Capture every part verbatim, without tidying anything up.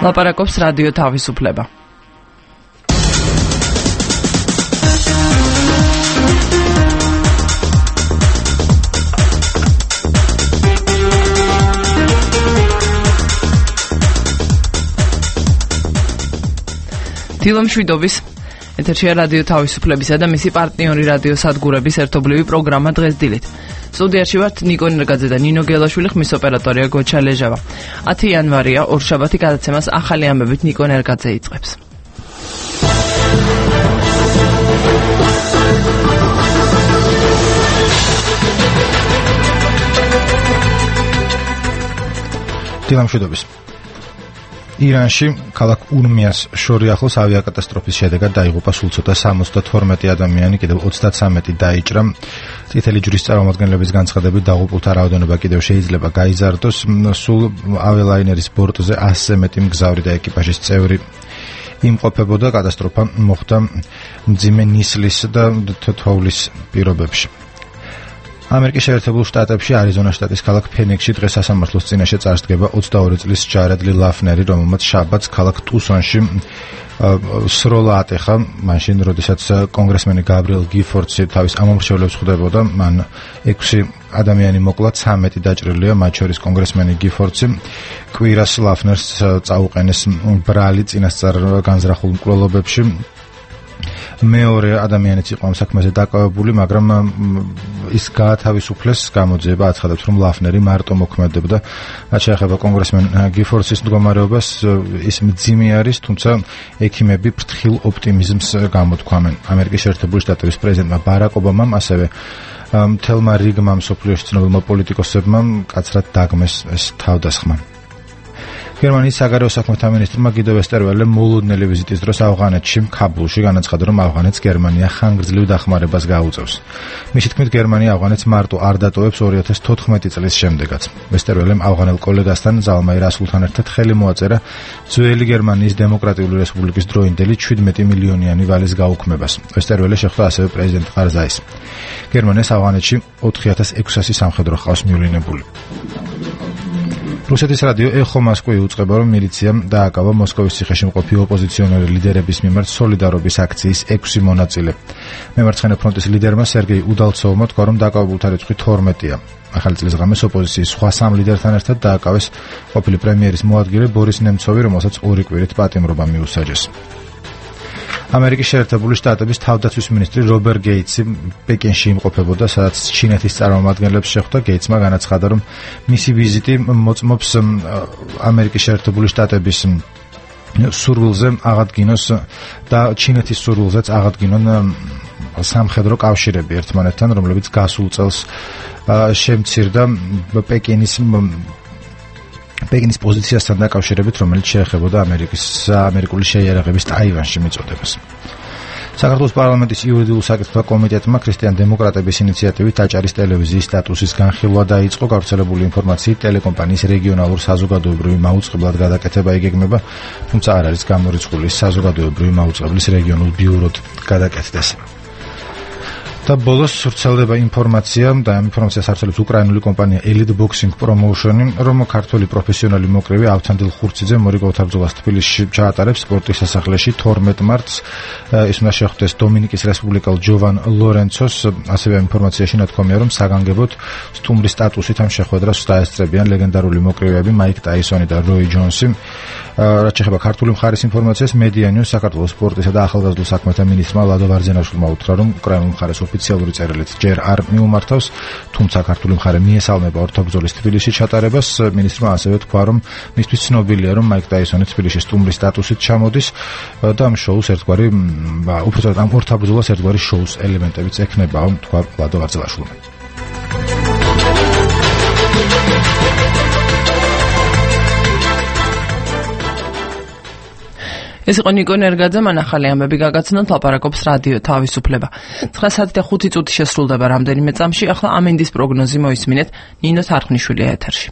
ლაპარაკობს რადიო თავისუფლება. დილომშვიდობის ეთერშია რადიო თავისუფლებისა და მისი პარტნიორი რადიო სადგურების ერთობლივი პროგრამა დღეს დილით. სტუდიაში ვართ ნიკო ნერგაძე და ნინო გელაშვილი, ხმის ოპერატორია გოჩა ლეჟავა. ათი იანვარია, ორშაბათი გადაცემას ახალი ამბებით ნიკო ნერგაძე იწყებს. დილომშვიდობის. ირანში ქალაქ ურმიას შორი ახლოს ავიაკატასტროფის შედეგად დაიღუპა სულ ცოტა სამოცდათორმეტი ადამიანი, კიდევ ოცდაცამეტი დაიჭრა. წითელი ჯვრის წარმომადგენლების განცხადებით დაღუპულთა რაოდენობა კიდევ შეიძლება გაიზარდოს. სულ ავიალაინერის ბორტზე ასზე მეტი მგზავრი და ეკიპაჟის წევრი იმყოფებოდა. კატასტროფა მოხდა მძიმე ნისლის და თოვლის პირობებში. ამერიკის შეერთებულ შტატებში არიზონას შტატის ქალაქ ფენიქსში დღეს სასამართლოს წინაშე წარსდგება ოცდაორი წლის ჯარედ ლი ლაფნერი, რომელმაც შაბათს ქალაქ ტუსონში სროლა ატეხა, მაშინ როდესაც კონგრესმენი გაბრიელ გიფორდსი თავის ამომრჩევლებს ხვდებოდა. მან ექვსი ადამიანი მოკლა, ცამეტი დაჭრილია, მათ შორის კონგრესმენი გიფორდსი. კვირას ლაფნერს წაუყენეს ბრალი წინასწარ განზრახულ მკვლელობებში. მეორე ადამიანიც იყო ამ საქმეზე დაკავებული, მაგრამ ის გაათავისუფლეს. გამოძიება აცხადებს, რომ ლაფნერი მარტო მოქმედებდა. რაც შეეხება კონგრესმენ გიფორდსის მდგომარეობას, ის მძიმე არის, თუმცა ექიმები ფრთხილ ოპტიმიზმს გამოთქვამენ. ამერიკის შეერთებული შტატების პრეზიდენტმა ბარაკ ობამამ, ასევე მთელმა რიგმა მსოფლიოში ცნობილმა პოლიტიკოსებმა მკაცრად დაგმეს ეს თავდასხმა. გერმანიის საგარეო საქმეთა მინისტრმა გიდო ვესტერველემ მოულოდნელი ვიზიტის დროს ავღანეთში, ქაბულში განაცხადა, რომ ავღანეთს გერმანია ხანგრძლივ დახმარებას გაუწევს. მისი თქმით, გერმანია ავღანეთს მარტო არ დატოვებს ორი ათას თოთხმეტი წლის შემდეგაც. ვესტერველემ ავღანელ კოლეგასთან, ზალმაი რასულთან ერთად ხელი მოაწერა ძველი გერმანიის დემოკრატიული რესპუბლიკის დროინდელი შვიდმეტი მილიონიანი ვალის გაუქმებას. ვესტერველე შეხვდა ასევე პრეზიდენტ ყარზაის. გერმანიას ავღანეთში ოთხი ათას ექვსასი სამხედრო ჰყავს მიულინებული. რუსეთის რადიო ეხო მოსკოვი უწყება, რომ მილიციამ დააკავა მოსკოვის ციხეში მყოფი ოპოზიციონერი ლიდერების მიმართ სოლიდარობის აქციის ექვსი მონაწილე. მემარცხენე ფრონტის ლიდერმა სერგეი უდალცოვმა თქვა, რომ დაკავებულთა რიცხვი თორმეტია. ახალი წლის ღამეს ოპოზიციის სხვა სამ ლიდერთან ერთად დააკავეს ყოფილი პრემიერის მოადგილე ბორის ნემცოვი, რომელსაც ორი კვირით პატიმრობა მიუსაჯეს. ამერიკის შეერთებული შტატების თავდაცვის მინისტრი რობერტ გეიტსი პეკინში იმყოფებოდა, სადაც ჩინეთის წარმომადგენლებს შეხვდა. გეიტსმა განაცხადა, რომ მისი ვიზიტი მოწმობს ამერიკის შეერთებული შტატების სურვილზე აღადგინოს და ჩინეთის სურვილზეც აღადგინონ სამხედრო კავშირები ერთმანეთთან, რომლებიც გასულ წელს შემცირდა პეკინის პეკინის პოზიციასთან დაკავშირებით, რომელიც შეეხებოდა ამერიკის ამერიკული შეიარაღების ტაივანში მიწოდებას. საქართველოს პარლამენტის იურიდიულ საკითხთა კომიტეტმა ქრისტიან-დემოკრატების ინიციატივით აჭარის ტელევიზიის სტატუსის განხილვა დაიწყო. გავრცელებული ინფორმაციით, ტელეკომპანიის რეგიონალურ საზოგადოებრივი მაუწყებლად გადაკეთება იგეგმება, თუმცა არ არის გამორიცხული საზოგადოებრივი მაუწყებლის რეგიონულ ბიუროდ გადაკეთდეს. და ბოლოს ვრცელდება ინფორმაცია და ამ ინფორმაციას აცილებს უკრაინული კომპანია Elite Boxing Promotion, რომ ქართველი პროფესიონალი მოკრივე ავთანდილ ხურციძე მორიგავთა ბრძოლას თბილისში ჩაატარებს სპორტის სასახლეში თორმეტ მარტს. ის უნდა შეხვდეს დომინიკის რესპუბლიკელ ჯოვან ლორენცოს. ასევე ინფორმაციაში ნათქვამია, რომ საგანგებოდ სტუმრის სტატუსით ამ შეხვედრას დაესწრებიან ლეგენდარული მოკრივეები მაიკ ტაისონი და როი ჯონსი. რაც შეეხება ქართული მხარის ინფორმაციას, მედიანიუს საქართველოს სპორტისა და ახალგაზრდულ საქმეთა მინისტრმა ლადო ვარძენაშვილმა უთხრა, რომ უკრაინულ მხარეს ოფიციალური წერილით ჯერ არ მიუმართავს, თუმცა ქართული მხარე მიესალმება ორთაბრძოლის თბილისში ჩატარებას. მინისტრმა ასევე თქვა, რომ მისთვის ცნობილია, რომ მაიკ ტაისონი თბილისში სტუმრის სტატუსით ჩამოდის და ამ შოუს ერთგვარი, უბრალოდ ამ ორთაბრძოლას ერთგვარი შოუს ელემენტებიც ექნება, თქვა ლადო ვარძენაშვილმა. ეს იყო ნიკო ნერგაძე, მან ახალი ამბები გაგაცნოთ, ლაპარაკობს რადიო თავისუფლება. ცხრა საათი და ხუთი წუთი შესრულდება რამდენიმე წამში. ახლა ამინდის პროგნოზი მოისმინეთ. ნინო თარხნიშვილია ეთერში.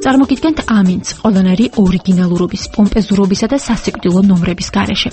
წარმოგიდგენთ ამინც ყველანაირი ორიგინალურობის, პომპეზურობისა და სასიკვდილო ნომრების გარეშე.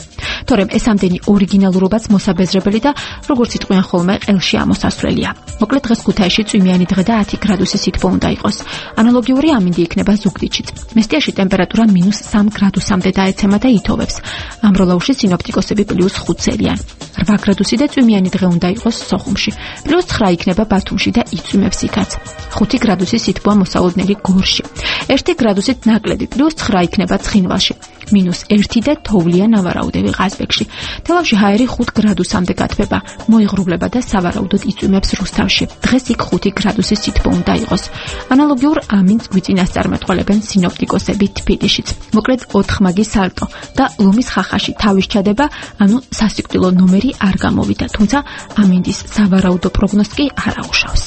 თორემ ეს ამდენი ორიგინალურობაც მოსაბეზრებელი და როგორც იტყვიან ხოლმე ყელში ამოსასვლელია. მოკლედ დღეს ქუთაისში წვიმიანი დღე და ათი გრადუსი სითბო უნდა იყოს. ანალოგიური ამინდი იქნება ზუგდიდშიც. მესტიაში ტემპერატურა მინუს სამ გრადუსამდე დაეცემა და ითოვებს. ამროლაუში სინოპტიკოსები პლუს ხუთ წერიან. რვა გრადუსი და წვიმიანი დღე უნდა იყოს სოხუმში. პლუს ცხრა იქნება ბათუმში და იწვიმებს იქაც. ხუთი გრადუსი სითბოა მოსალოდნელი გორში. ერთი გრადუსით ნაკლები პლუს ცხრა იქნება ცხინვალში. მინუს ერთი და თოვლია ნავარაუდევი ყაზბეგში. თელავში ჰაერი ხუთ გრადუსამდე გათბება. მოიღრუბლება და სავარაუდოდ იწვიმებს რუსთავში. დღეს იქ ხუთი გრადუსი სითბო უნდა იყოს. ანალოგიურ ამინს გვიწინასწარმეტყველებენ სინოპტიკოსები თბილისშიც. მოკლედ ოთხმაგი სალტო და ლომის ხახაში თავის ჩადება, ანუ სასიკვდილო ნომერი არ გამოვიდა, თუმცა ამინდის სავარაუდო პროგნოზს კი არ აუშავს.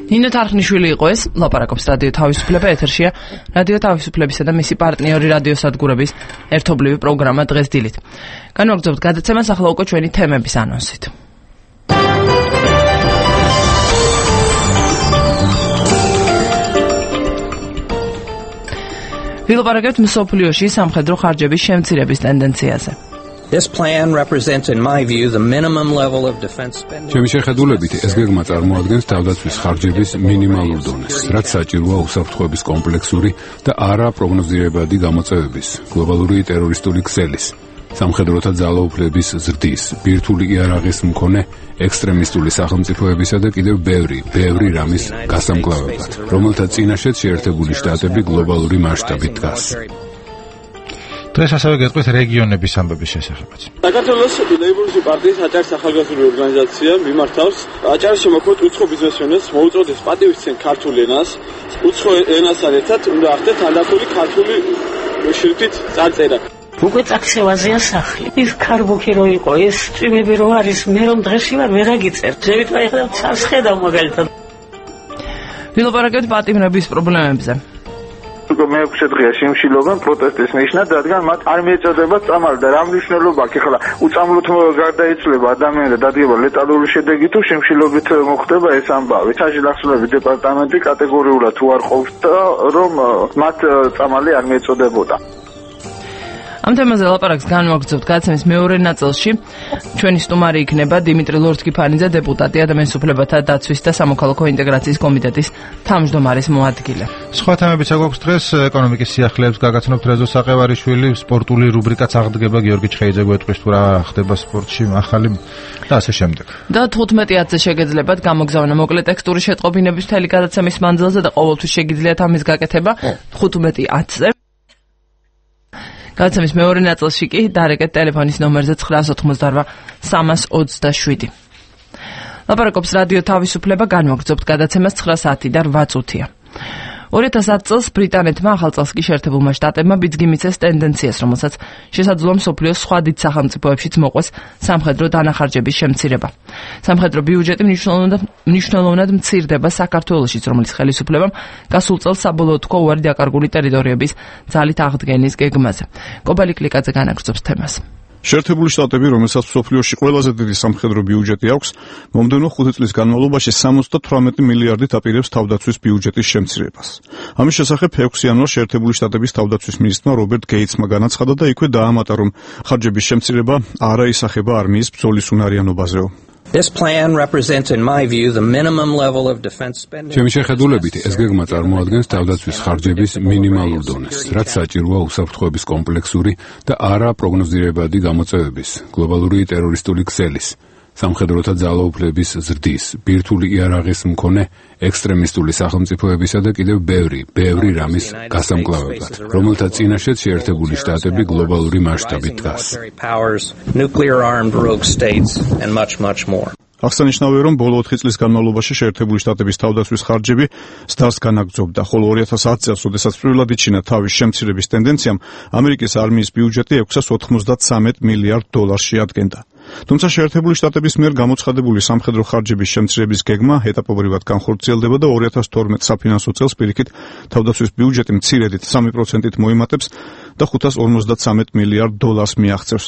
ნინო თარხნიშვილი იყო ეს, ლაპარაკობს რადიო თავისუფლება, ეთერშია რადიო თავისუფლებისა და მისი პარტნიორი რადიო სადგურების ერთობლივი პროგრამა დღეს დილით. განვაგრძობთ გადაცემას ახლა უკვე ჩვენი თემების ანონსით. ვილაპარაკებთ მსოფლიოში სამხედრო ხარჯების შემცირების ტენდენციაზე. This plan represents, in my view, the minimum level of defense spending. ჩემი შეხედულებით ეს გეგმა წარმოადგენს თავდაცვის ხარჯების მინიმალურ დონეს, რაც საჭიროა უსაფრთხოების კომპლექსური და არა პროგნოზირებადი გამოწვევების, გლობალური ტერორისტული ქსელის, სამხედროთა ძალაუფლების ზრდის, ბირთვული იარაღის მქონე ექსტრემისტული სახელმწიფოებისა და კიდევ ბევრი, ბევრი რამის გასამკლავებლად, რომელთა წინაშეც შეერთებული შტატები გლობალური მასშტაბით დგას. დღეს ასევე გეტყვით რეგიონების ამბების შესახებაც. საქართველოს ლეიბორისტული პარტიის აჭარის ახალგაზრდული ორგანიზაცია მიმართავს აჭარის შემოქმედ უცხო ბიზნესმენებს მოუწოდეს პატივისცემ ქართულ ენას, უცხო ენასთან ერთად უნდა ახდეთ თანდათული ქართული შრიფტით წარწერა. უკვე წაქცევაზეა სახლი. ის ქარბუქი რო იყო, ეს წვიმები რო არის, მე რომ დღეს ვარ ვერაგიწერ. ზევით აი ხა ცას ხედავ მაგალითად. ვილაპარაკებთ პატიმრების პრობლემებზე. უკვე მეექვსე დღეა სიმშილობენ პროტესტის ნიშნად, რადგან მათ არ მიეწოდება წამალი და რა მნიშვნელობა აქვს? ახლა უწამლოდ გარდაიცვლება ადამიანი და დადგება ლეტალური შედეგი თუ სიმშილობით მოხდება ეს ამბავი. საჯილახსოვრების დეპარტამენტი კატეგორიულად თუ არ ყოფს რომ მათ წამალი არ მიეწოდებოდა. ამ თემაზე ლაპარაკს განვაგრძობთ გადაცემის მეორე ნაწილში. ჩვენი სტუმარი იქნება დიმიტრი ლორთქიფანიძე, დეპუტატი, ადამიანის უფლებათა დაცვის და სამოქალაქო ინტეგრაციის კომიტეტის თავმჯდომარის მოადგილე. სხვა თემებიც აქვს დღეს, ეკონომიკის სიახლეებს გაგაცნობთ რეზო საყევარიშვილი, სპორტული რუბრიკაც აღდგება, გიორგი ჩხეიძე გვეტყვის თუ რა ხდება სპორტში, ახალი და ასე შემდეგ. და თხუთმეტი ათზე შეგეძლებათ გამოგზავნა მოკლე ტექსტური შეტყობინების მთელი გადაცემის მანძილზე და ყოველთვის შეგიძლიათ ამის გაკეთება თხუთმეტი ათზე. გადაცემის მეორე ნაწილში კი დარეკეთ ტელეფონის ნომერზე ცხრაას ოთხმოცდარვა სამას ოცდაშვიდი. ლაპარაკობს რადიო თავისუფლება, განვაგრძობთ გადაცემას ცხრა საათი და რვა წუთია. ორი ათას ათ წელს ბრიტანეთმა ახალ წელს კი შეერთებულმა შტატებმა ბიძგი მიცეს ტენდენციას, რომელსაც შესაძლოა მსოფლიოს სხვა დიდ სახელმწიფოებშიც მოყვეს სამხედრო დანახარჯების შემცირება. სამხედრო ბიუჯეტი მნიშვნელოვნად მცირდება საქართველოშიც, რომელიც ხელისუფლებამ გასულ წელს საბოლოოდ თქვა უარი დაკარგული ტერიტორიების ძალით აღდგენის გეგმაზე. კობალი კლიკაძე განაგრძობს თემას. შეერთებული შტატები, რომელსაც მსოფლიოში ყველაზე დიდი სამხედრო ბიუჯეტი აქვს, მომდევნო ხუთი წლის განმავლობაში სამოცდათვრამეტი მილიარდით აპირებს თავდაცვის ბიუჯეტის შემცირებას. ამის შესახებ ექვსი იანვარს შეერთებული შტატების თავდაცვის მინისტრმა რობერტ გეიცმა განაცხადა და იქვე დაამატა, რომ ხარჯების შემცირება არ აისახება არმიის ბრძოლის უნარიანობაზეო. This plan represents, in my view, the minimum level of defense spending. ჩემი შეხედულებით ეს გეგმა წარმოადგენს თავდაცვის ხარჯების მინიმალურ დონეს, რაც საჭიროა უსაფრთხოების კომპლექსური და არა პროგნოზირებადი გამოწვევების, გლობალური ტერორისტული ქსელის, სამხედროთა ძალაუფლების ზრდის, ბირთვული იარაღის მქონე ექსტრემისტული სახელმწიფოებისა და კიდევ ბევრი, ბევრი რამის გასამკლავებლად, რომელთა წინაშეც შეერთებული შტატები გლობალური მასშტაბით დგას. აღსანიშნავია, რომ ბოლო ოთხი წლის განმავლობაში შეერთებული შტატების თავდაცვის ხარჯები ზრდას განაგრძობდა, ხოლო ორი ათას ათ წელს, როდესაც პირველად იჩინა თავის შემცირების ტენდენციამ, ამერიკის არმიის ბიუჯეტი ექვსას ოცდათხმეტ მილიარდ დოლარს შეადგენდა. თუმცა შეერთებული შტატების მიერ გამოცხადებული სამხედრო ხარჯების შემცირების გეგმა ეტაპობრივად განხორციელდება და ორი ათას თორმეტ საფინანსო წელს პირიქით თავდაცვის ბიუჯეტი მცირედით სამი პროცენტით მოიმატებს და ხუთას ორმოცდათრამეტ მილიარდ დოლარს მიაღწევს.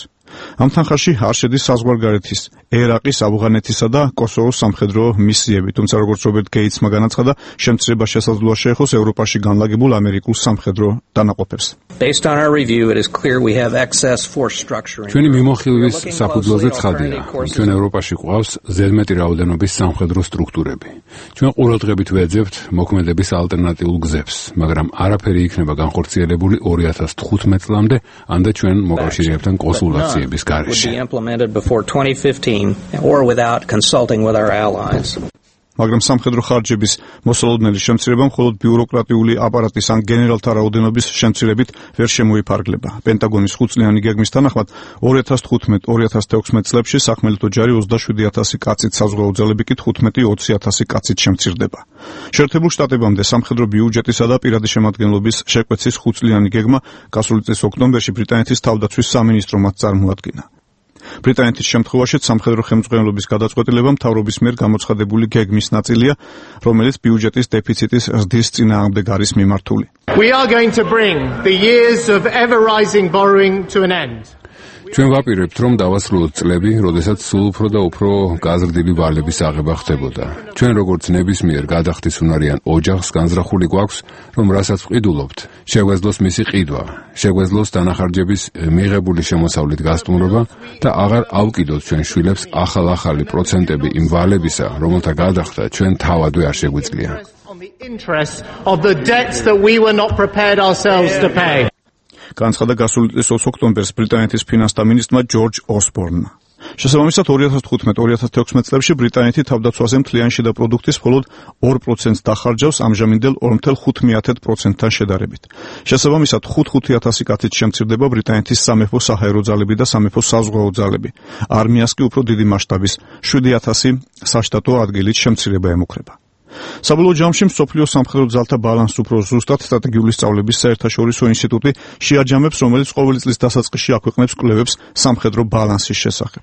ამ თანხაში არ შედის საზღვარგარეთის, ერაყის, ავღანეთისა და კოსოვოს სამხედრო მისიები, თუმცა როგორც რობერტ გეიცმა განაცხადა, შემცირება შესაძლოა შეეხოს ევროპაში განლაგებულ ამერიკულ სამხედრო დანაყოფებს. ჩვენი მიმოხილვის საფუძველზე ცხადია, ჩვენ ევროპაში გვყავს ზედმეტი რაოდენობის სამხედრო სტრუქტურები. ჩვენ ყურადღებით ვეძებთ მოქმედების ალტერნატიულ გზებს, მაგრამ არაფერი იქნება განხორციელებული ორი ათას თხუთმეტ წლამდე, ამდე ჩვენ მოკავშირეებთან კონსულტაციების გარეშე. მაგრამ სამხედრო ხარჯების მოსალოდნელი შემცირება მხოლოდ ბიუროკრატიული აპარატის ან გენერალთა რაოდენობის შემცირებით ვერ შემოიფარგლება. პენტაგონის ხუთწლიანი გეგმის თანახმად ორი ათას თხუთმეტ ორი ათას თექვსმეტ წლებში სახმელეთო ჯარი ოცდაშვიდი ათასი კაცით, საზღვაო ძალები კი თხუთმეტი ოცი ათასი კაცით შემცირდება. შეერთებულ შტატებამდე სამხედრო ბიუჯეტისა და პირადი შემადგენლობის შეკვეცის ხუთწლიანი გეგმა გასული წლის ოქტომბერში ბრიტანეთის თავდაცვის სამინისტრომაც წარმოადგინა. ბრიტანეთის შემთხვევაში სამხედრო ხელმძღვანელობის გადაწყვეტილება მთავრობის მიერ გამოცხადებული გეგმის ნაწილია, რომელიც ბიუჯეტის დეფიციტის ზრდის წინააღმდეგ არის მიმართული. We are going to bring the years of ever rising borrowing to an end. ჩვენ ვაპირებთ, რომ დავასრულოთ წლები, როდესაც სულ უფრო და უფრო გაზრდილი ვალების აღება ხდებოდა. ჩვენ როგორც ნებისმიერ გადახდის უნარიან ოჯახს განზრახული გვაქვს, რომ რასაც ვყიდულობთ, შეგვეძლოს მისი ყიდვა, შეგვეძლოს დანახარჯების მიღებული შემოსავლით გასტუმრობა და აღარ ავკიდოთ ჩვენ შვილებს ახალ-ახალი პროცენტები იმ ვალებისა, რომელთა გადახდა ჩვენ თავადვე არ შეგვიძლია. განცხადა გასული წლის ოქტომბერს ბრიტანეთის ფინანსთა მინისტრმა ჯორჯ ოსბორნმა. შესაბამისად ორი ათას თხუთმეტ ორი ათას თექვსმეტ წლებში ბრიტანეთი თავდაცვაზე მთლიანი შიდა პროდუქტის მხოლოდ ორ პროცენტს დახარჯავს ამჟამინდელ ორ ათას ხუთ პროცენტთან შედარებით. შესაბამისად ხუთ ხუთი ათასი კაცით შემცირდება ბრიტანეთის სამეფო საჰაერო ძალები და სამეფო საზღვაო ძალები. არმიას კი უფრო დიდი მასშტაბის შვიდი ათასი საშტატო ადგილით შემცირება ემუქრება. საბოლოო ჯამში მსოფლიო სამხედრო ძალთა ბალანსს უფრო ზუსტად სტრატეგიული სწავლების საერთაშორისო ინსტიტუტი შეაჯამებს, რომელიც ყოველი წლის დასაწყისში აქვეყნებს კვლევებს სამხედრო ბალანსის შესახებ.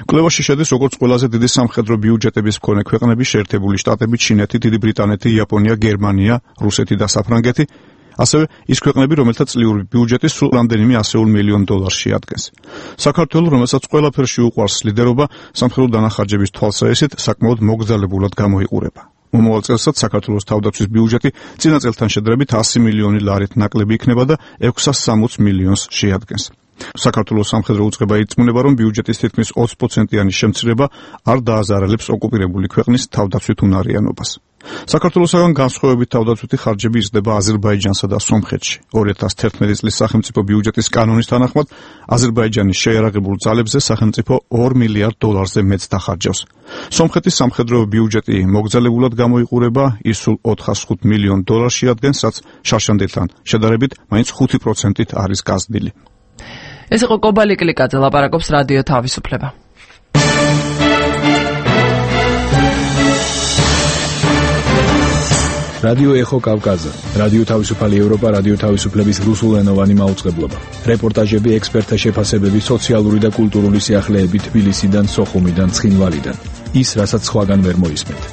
კვლევაში შედის როგორც ყველაზე დიდი სამხედრო ბიუჯეტების მქონე ქვეყნები შეერთებული შტატები, ჩინეთი, დიდი ბრიტანეთი, იაპონია, გერმანია, რუსეთი და საფრანგეთი, ასევე ის ქვეყნები, რომელთა წლიური ბიუჯეტი სულ რამდენიმე ასეულ მილიონ დოლარს შეადგენს. საქართველო, რომელსაც ყველაფერში უყვარს ლიდერობა, სამხედრო დანახარჯების თვალსაჩინოდ საკმაოდ მოგზაურებულად გამოიყურება. მომავალ წელსაც საქართველოს თავდაცვის ბიუჯეტი წინა წელთან შედარებით ასი მილიონი ლარით ნაკლები იქნება და ექვსას სამოცდ მილიონს შეადგენს. საქართველოს სამხედრო უწყება ირწმუნება, რომ ბიუჯეტის თითქმის ოცი პროცენტიანი შემცირება არ დააზარალებს ოკუპირებული ქვეყნის თავდაცვით უნარიანობას. საქართველოსაგან განსხვავებით თავდაცვითი ხარჯები იზრდება აზერბაიჯანსა და სომხეთში. ორი ათას თერთმეტი წლის სახელმწიფო ბიუჯეტის კანონის თანახმად აზერბაიჯანის შეიარაღებულ ძალებზე სახელმწიფო ორ მილიარდ დოლარზე მეტს დახარჯავს. სომხეთის სამხედრო ბიუჯეტი მოგზაურებულად გამოიყურება, ის სულ ოთხას ხუთ მილიონ დოლარს შეადგენს, რაც შარშანდელთან შედარებით მაინც ხუთი პროცენტით არის გაზრდილი. ეს იყო კობალი კლიკაძე, ლაპარაკობს რადიო თავისუფლება. რადიო ეხო კავკაზა, რადიო თავისუფალი ევროპა, რადიო თავისუფლების რუსულენოვანი მაუწყებლობა. რეპორტაჟები, ექსპერტთა შეფასებები, სოციალური და კულტურული სიახლეები თბილისიდან, სოხუმიდან, ცხინვალიდან. ის, რასაც სხვაგან ვერ მოისმენთ.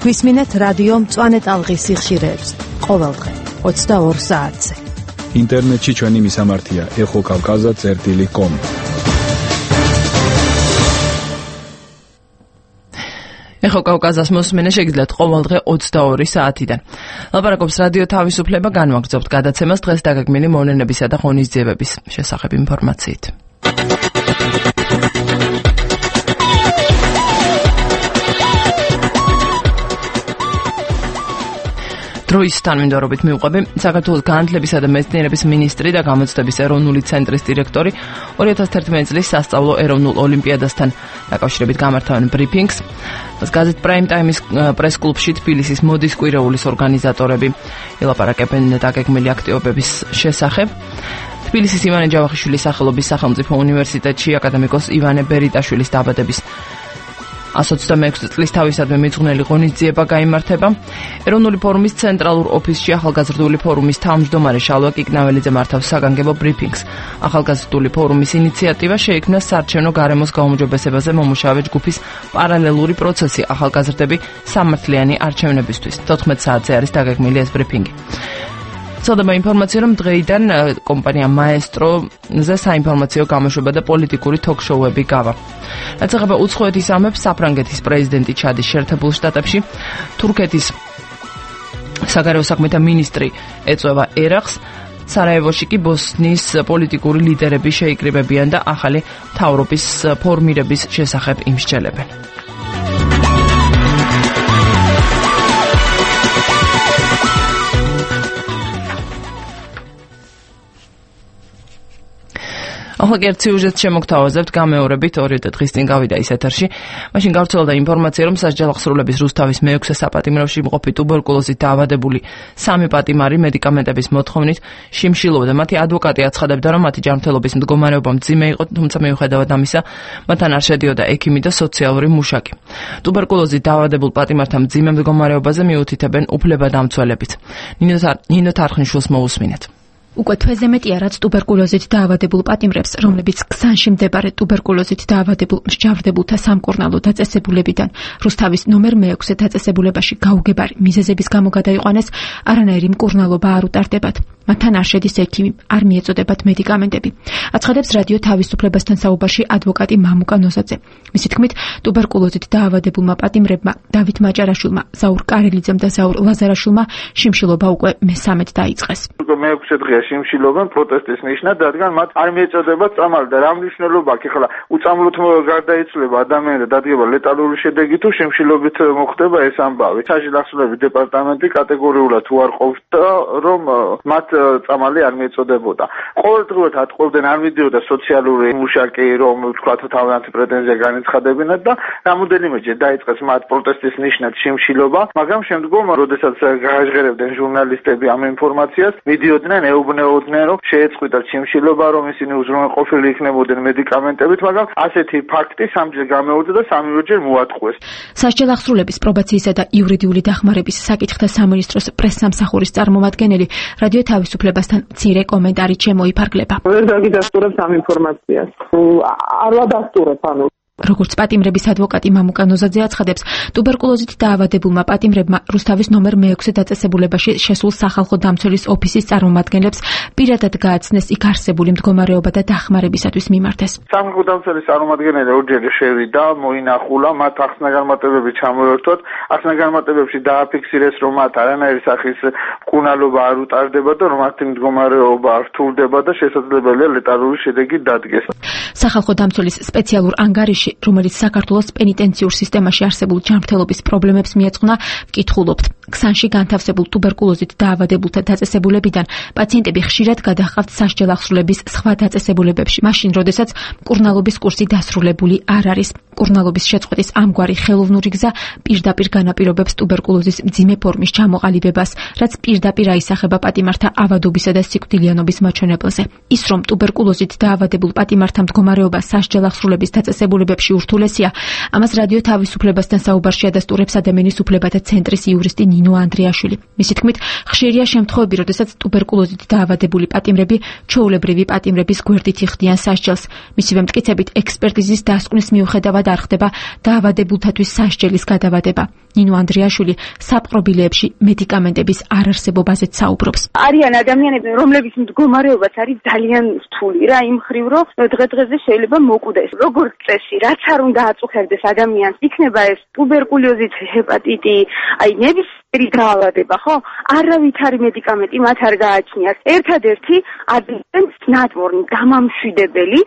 გვისმინეთ რადიო მწვანე ტალღის სიხშირეებს ყოველდღე ოცდაორ საათზე. ინტერნეტში ჩვენი მისამართია ეხო კავკაზა წერტილი კომ. ეხო კავკაზას მოსმენა შეგიძლიათ ყოველდღე ოცდაორი საათიდან. ლაპარაკობს რადიო თავისუფლება, განვაგრძობთ გადაცემას დღეს დაგეგმილი მოვლენებისა და ღონისძიებების შესახებ ინფორმაციით. დროის თანმიმდევრობით მივყვები საქართველოს განათლებისა და მეცნიერების მინისტრი და გამოცდების ეროვნული ცენტრის დირექტორი ორი ათას თერთმეტი წლის სასწავლო ეროვნულ ოლიმპიადასთან დაკავშირებით გამართავენ ბრიფინგს. გაზეთ პრაიმ ტაიმის პრეს-კლუბში თბილისის მოდის კვირეულის ორგანიზატორები ელაპარაკებენ დაგეგმილი აქტივობების შესახებ. თბილისის ივანე ჯავახიშვილის სახელობის სახელმწიფო უნივერსიტეტში აკადემიკოს ივანე ბერიტაშვილის დაბადების ას ოცდამეექვსი წლის თავისადმი მიძღვნელი ღონისძიება გაიმართება. ეროვნული ფორუმის ცენტრალურ ოფისში ახალგაზრდული ფორუმის თავმჯდომარე შალვა კიკნაველიძე მართავს საგანგებო ბრიფინგს. ახალგაზრდული ფორუმის ინიციატივა შეიქმნა საარჩევნო გარემოს გაუმჯობესებაზე მომუშავე ჯგუფის პარალელური პროცესი ახალგაზრდები სამართლიანი არჩევნებისთვის. თოთხმეტ საათზე არის დაგეგმილი ეს ბრიფინგი. ცოდნა ინფორმაცია რომ დღეიდან კომპანია მაესტროზე საინფორმაციო გამოშვება და პოლიტიკური თოქ-შოუები გავა. რაც ეხება უცხოეთის ამებს, საფრანგეთის პრეზიდენტი ჩადის შეერთებულ შტატებში, თურქეთის საგარეო საქმეთა მინისტრი ეწევა ერახს, სარაევოში კი ბოსნიის პოლიტიკური ლიდერები შეიკრიბებიან და ახალი მთავრობის ფორმირების შესახებ იმსჯელებენ. ახლა ერთ სიუჟეტს შემოგთავაზებთ გამეორებით ორი დღის წინ გავიდა ის ეთერში. მაშინ გავრცელდა ინფორმაცია, რომ სასჯელახსრულების რუსთავის მეექვსე საპატიმროში მყოფი ტუბერკულოზით დაავადებული სამი პატიმარი მედიკამენტების მოთხოვნით შიმშილობდა. მათი ადვოკატი აცხადებდა, რომ მათი ჯანმრთელობის მდგომარეობა მძიმე იყო, თუმცა მიუხედავად ამისა, მათთან არ შედიოდა ექიმი და სოციალური მუშაკი. ტუბერკულოზით დაავადებულ პატიმართა მძიმე მდგომარეობაზე მიუთითებენ უფლებადამცველებიც. ნინო თარხნიშვილს მოусმინეთ. უკვე თვეზე მეტია, რაც ტუბერკულოზით დაავადებულ პატიმრებს, რომლებიც ქსანში მდებარე ტუბერკულოზით დაავადებულ მსჯავრდებულთა სამკურნალო დაწესებულებიდან რუსთავის ნომერ მეექვსე დაწესებულებაში გაუგებარი მიზეზების გამო გადაიყვანეს, არანაირი მკურნალობა არ უტარდებათ. მათთან არ შედის ექიმი, არ მიეწოდებათ მედიკამენტები. აცხადებს რადიო თავისუფლებასთან საუბარში ადვოკატი მამუკა ნოზაძე. მისი თქმით, ტუბერკულოზით დაავადებულმა პატიმრებმა დავით მაჭარაშვილმა, ზაურ კარელიძემ და ზაურ ლაზარაშვილმა შიმშილობა უკვე მესამედ დაიწყეს. მეექვსე დღეა შიმშილობენ პროტესტის ნიშნად, რადგან მათ არ მიეწოდებათ წამალი და რა მნიშვნელობა აქვს? ახლა უწამლოდ გარდაიცვლება ადამიანი და დადგება ლეტალური შედეგი თუ შიმშილობით მოხდება ეს ამბავი. სასჯელახსრულების დეპარტამენტი კატეგორიულად უარყოფს, რომ მათ წამალი არ მიეწოდებოდა. ყოველდღურად ატყობდნენ, არ მიდიოდა სოციალური მუშაკი, რომ თქვათ თავიანთი პრეტენზია განეცხადებინათ და რამოდენიმეჯერ დაიწყეს მათ პროტესტის ნიშნად შიმშილობა, მაგრამ შემდგომ, როდესაც გააჟღერებდნენ ჟურნალისტები ამ ინფორმაციას, მიდიოდნენ, ეუბნეოდნენ, რომ შეეწყვიტათ შიმშილობა, რომ ისინი უზრუნველყოფილი იქნებოდნენ მედიკამენტებით, მაგრამ ასეთი ფაქტი სამჯერ გამეორდა და სამივეჯერ მოატყვეს. სასჯელახსრულების პრობაციისა და იურიდიული დახმარების საკითხთა სამინისტროს პრესსამსახურის წარმომადგენელი რადიო თავისუფლებასთან მცირე კომენტარით შემოიფარგლება. ვერ დაგიდასტურებთ ამ ინფორმაციას. არ ვადასტურებ, ანუ როგორც პატიმრების ადვოკატი მამუკა ნოზაძე აცხადებს, ტუბერკულოზით დაავადებულმა პატიმრებმა რუსთავის ნომერ მეექვსე დაწესებულებაში შესულ სახალხო დამცველის ოფისის წარმომადგენლებს პირადად გააცნეს იქ არსებული მდგომარეობა და დახმარებისათვის მიმართეს. სახალხო დამცველის წარმომადგენელი ორჯერ შევიდა, მოინახულა, მათ ახსნა-განმარტებები ჩამოერთვათ, ახსნა-განმარტებებში დააფიქსირეს, რომ მათ არანაირი სახის მკურნალობა არ უტარდება და რომ მათი მდგომარეობა რთულდება და შესაძლებელია ლეტალური შედეგი დადგეს. სახალხო დამცველის სპეციალურ ანგარიში, რომელიც საქართველოს პენიტენციურ სისტემაში არსებულ ჯანმრთელობის პრობლემებს მიეძღვნა, ვკითხულობთ. ქსანში განთავსებულ ტუბერკულოზით დაავადებულთა დაწესებულებიდან პაციენტები ხშირად გადაჰყავთ სასჯელახსრულების სხვა დაწესებულებებში, მაშინ, როდესაც მკურნალობის კურსი დასრულებული არ არის. მკურნალობის შეწყვეტის ამგვარი ხელოვნური გზა პირდაპირ განაპირობებს ტუბერკულოზის მძიმე ფორმის ჩამოყალიბებას, რაც პირდაპირ აისახება პატიმართა ავადობისა და სიკვდილიანობის მაჩვენებელზე. ის, რომ ტუბერკულოზით დაავადებულ პატიმართა მდგომარეობა სასჯელახსრულების დაწესებულებებში ურთულესია, ამას რადიო თავისუფლებასთან საუბარში ადასტურებს ადამიანის უფლებათა ცენტრის იურისტი ნინო ანდრიაშვილი. მისი თქმით, ხშირია შემთხვევები, როდესაც ტუბერკულოზით დაავადებული პატიმრები ჩვეულებრივი პატიმრების გვერდით იხდიან სასჯელს. მისივე მტკიცებით, ექსპერტიზის დასკვნის მიუხედავად არ ხდება დაავადებულთათვის სასჯელის გადავადება. ნინო ანდრიაშვილი საპყრობილეებში მედიკამენტების არარსებობაზეც საუბრობს. არიან ადამიანები, რომლების მდგომარეობაც არის ძალიან რთული რა, იმ მხრივ, რომ დღე-დღეზე შეიძლება მოკვდეს. როგორც წესი, რაც არ უნდა აწუხებდეს ადამიანს, იქნება ეს ტუბერკულოზით ჰეპატიტი, აი ნებისმიერი დაავადება, ხო? არავითარი მედიკამენტი მათ არ გააჩნიათ. ერთადერთი ადამიანს ნატმორნი გამამშვიდებელი,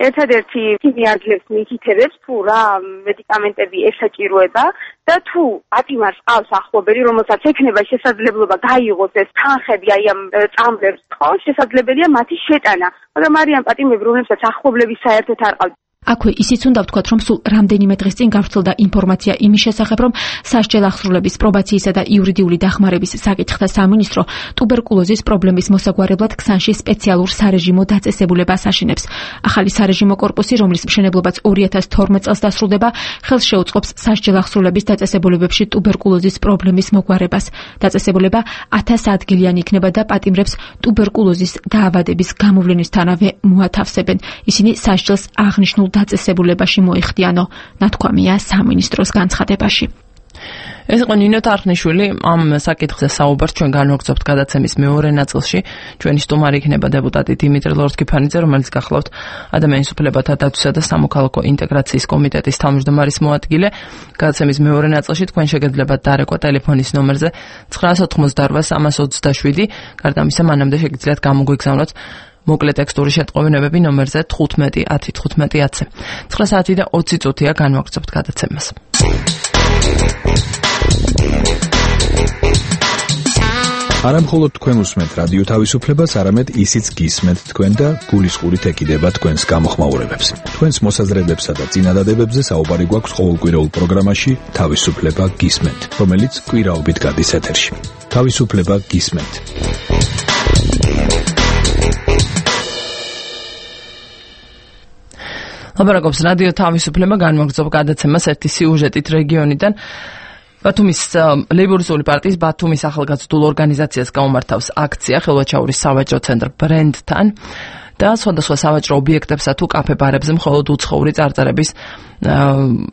ერთადერთი ისინი არძლევს მითითებებს, თუ რა მედიკამენტები ესაჭიროება და თუ პატიმარს ყავს ახლობელი, რომელსაც ექნება შესაძლებლობა გაიღოს ეს თანხები აი ამ წამლებს, ხო, შესაძლებელია მათი შეტანა, მაგრამ არიან პატიმრები, რომლებსაც ახლობლები საერთოდ არ ყავთ. აქვე ისიც უნდა ვთქვათ, რომ სულ რამდენიმე დღის წინ გავრცელდა ინფორმაცია იმის შესახებ, რომ სასჯელახსრულების პრობაციისა და იურიდიული დახმარების საკითხთა სამინისტრო ტუბერკულოზის პრობლემის მოსაგვარებლად ქსანში სპეციალურ სარეჟიმო დაწესებულებას აშენებს. ახალი სარეჟიმო კორპუსი, რომლის მშენებლობაც ორი ათას თორმეტ წელს დასრულდება, ხელს შეუწყობს სასჯელახსრულების დაწესებულებებში ტუბერკულოზის პრობლემის მოგვარებას. დაწესებულება ათას ადგილიანი იქნება და პატიმრებს ტუბერკულოზის დაავადების გამოვლენისთანავე მოათავსებენ. ისინი სასჯელს აღნიშნულ დაწესებულებაში მოიხდიანო, ნათქვამია სამინისტროს განცხადებაში. ეს იყო ნინო თარხნიშვილი, ამ საკითხზე საუბარს ჩვენ განვაგრძობთ გადაცემის მეორე ნაწილში. ჩვენი სტუმარი იქნება დეპუტატი დიმიტრი ლორთქიფანიძე, რომელიც გახლავთ ადამიანის უფლებათა დაცვისა და სამოქალაქო ინტეგრაციის კომიტეტის თავმჯდომარის მოადგილე. გადაცემის მეორე ნაწილში თქვენ შეგიძლიათ დარეკვა ტელეფონის ნომერზე ცხრაას ოცდაოთხმოცდაოთხ სამას ოცდაშვიდი. გარდა ამისა, მანამდე შეგიძლიათ გამოგვიგზავნოთ მოკლე ტექსტური შეტყობინებები ნომერზე თხუთმეტი ათი თხუთმეტი ათზე. ცხრა საათი და ოცი წუთია განვაგრძობთ გადაცემას. არა მხოლოდ თქვენ უსმენთ რადიო თავისუფლებას, არამედ ისიც გისმენთ თქვენ და გულისყურით ეკიდება თქვენს გამოხმაურებებს. თქვენს მოსაზრებებსა და წინადადებებზე საუბარი გვაქვს ყოველკვირეულ პროგრამაში თავისუფლება გისმენთ, რომელიც კვირაობით გადის ეთერში. თავისუფლება გისმენთ. ლაპარაკობს რადიო თავისუფლება, განვაგრძობ გადაცემას ერთი სიუჟეტით რეგიონიდან. ბათუმის ლეიბორისტული პარტიის ბათუმის ახალგაზრდულ ორგანიზაციას გაუმართავს აქცია ხელვაჩაურის სავაჭრო ცენტრ ბრენდთან და სხვადასხვა სავაჭრო ობიექტებსა თუ კაფე-ბარებზე მხოლოდ უცხოური წარწერების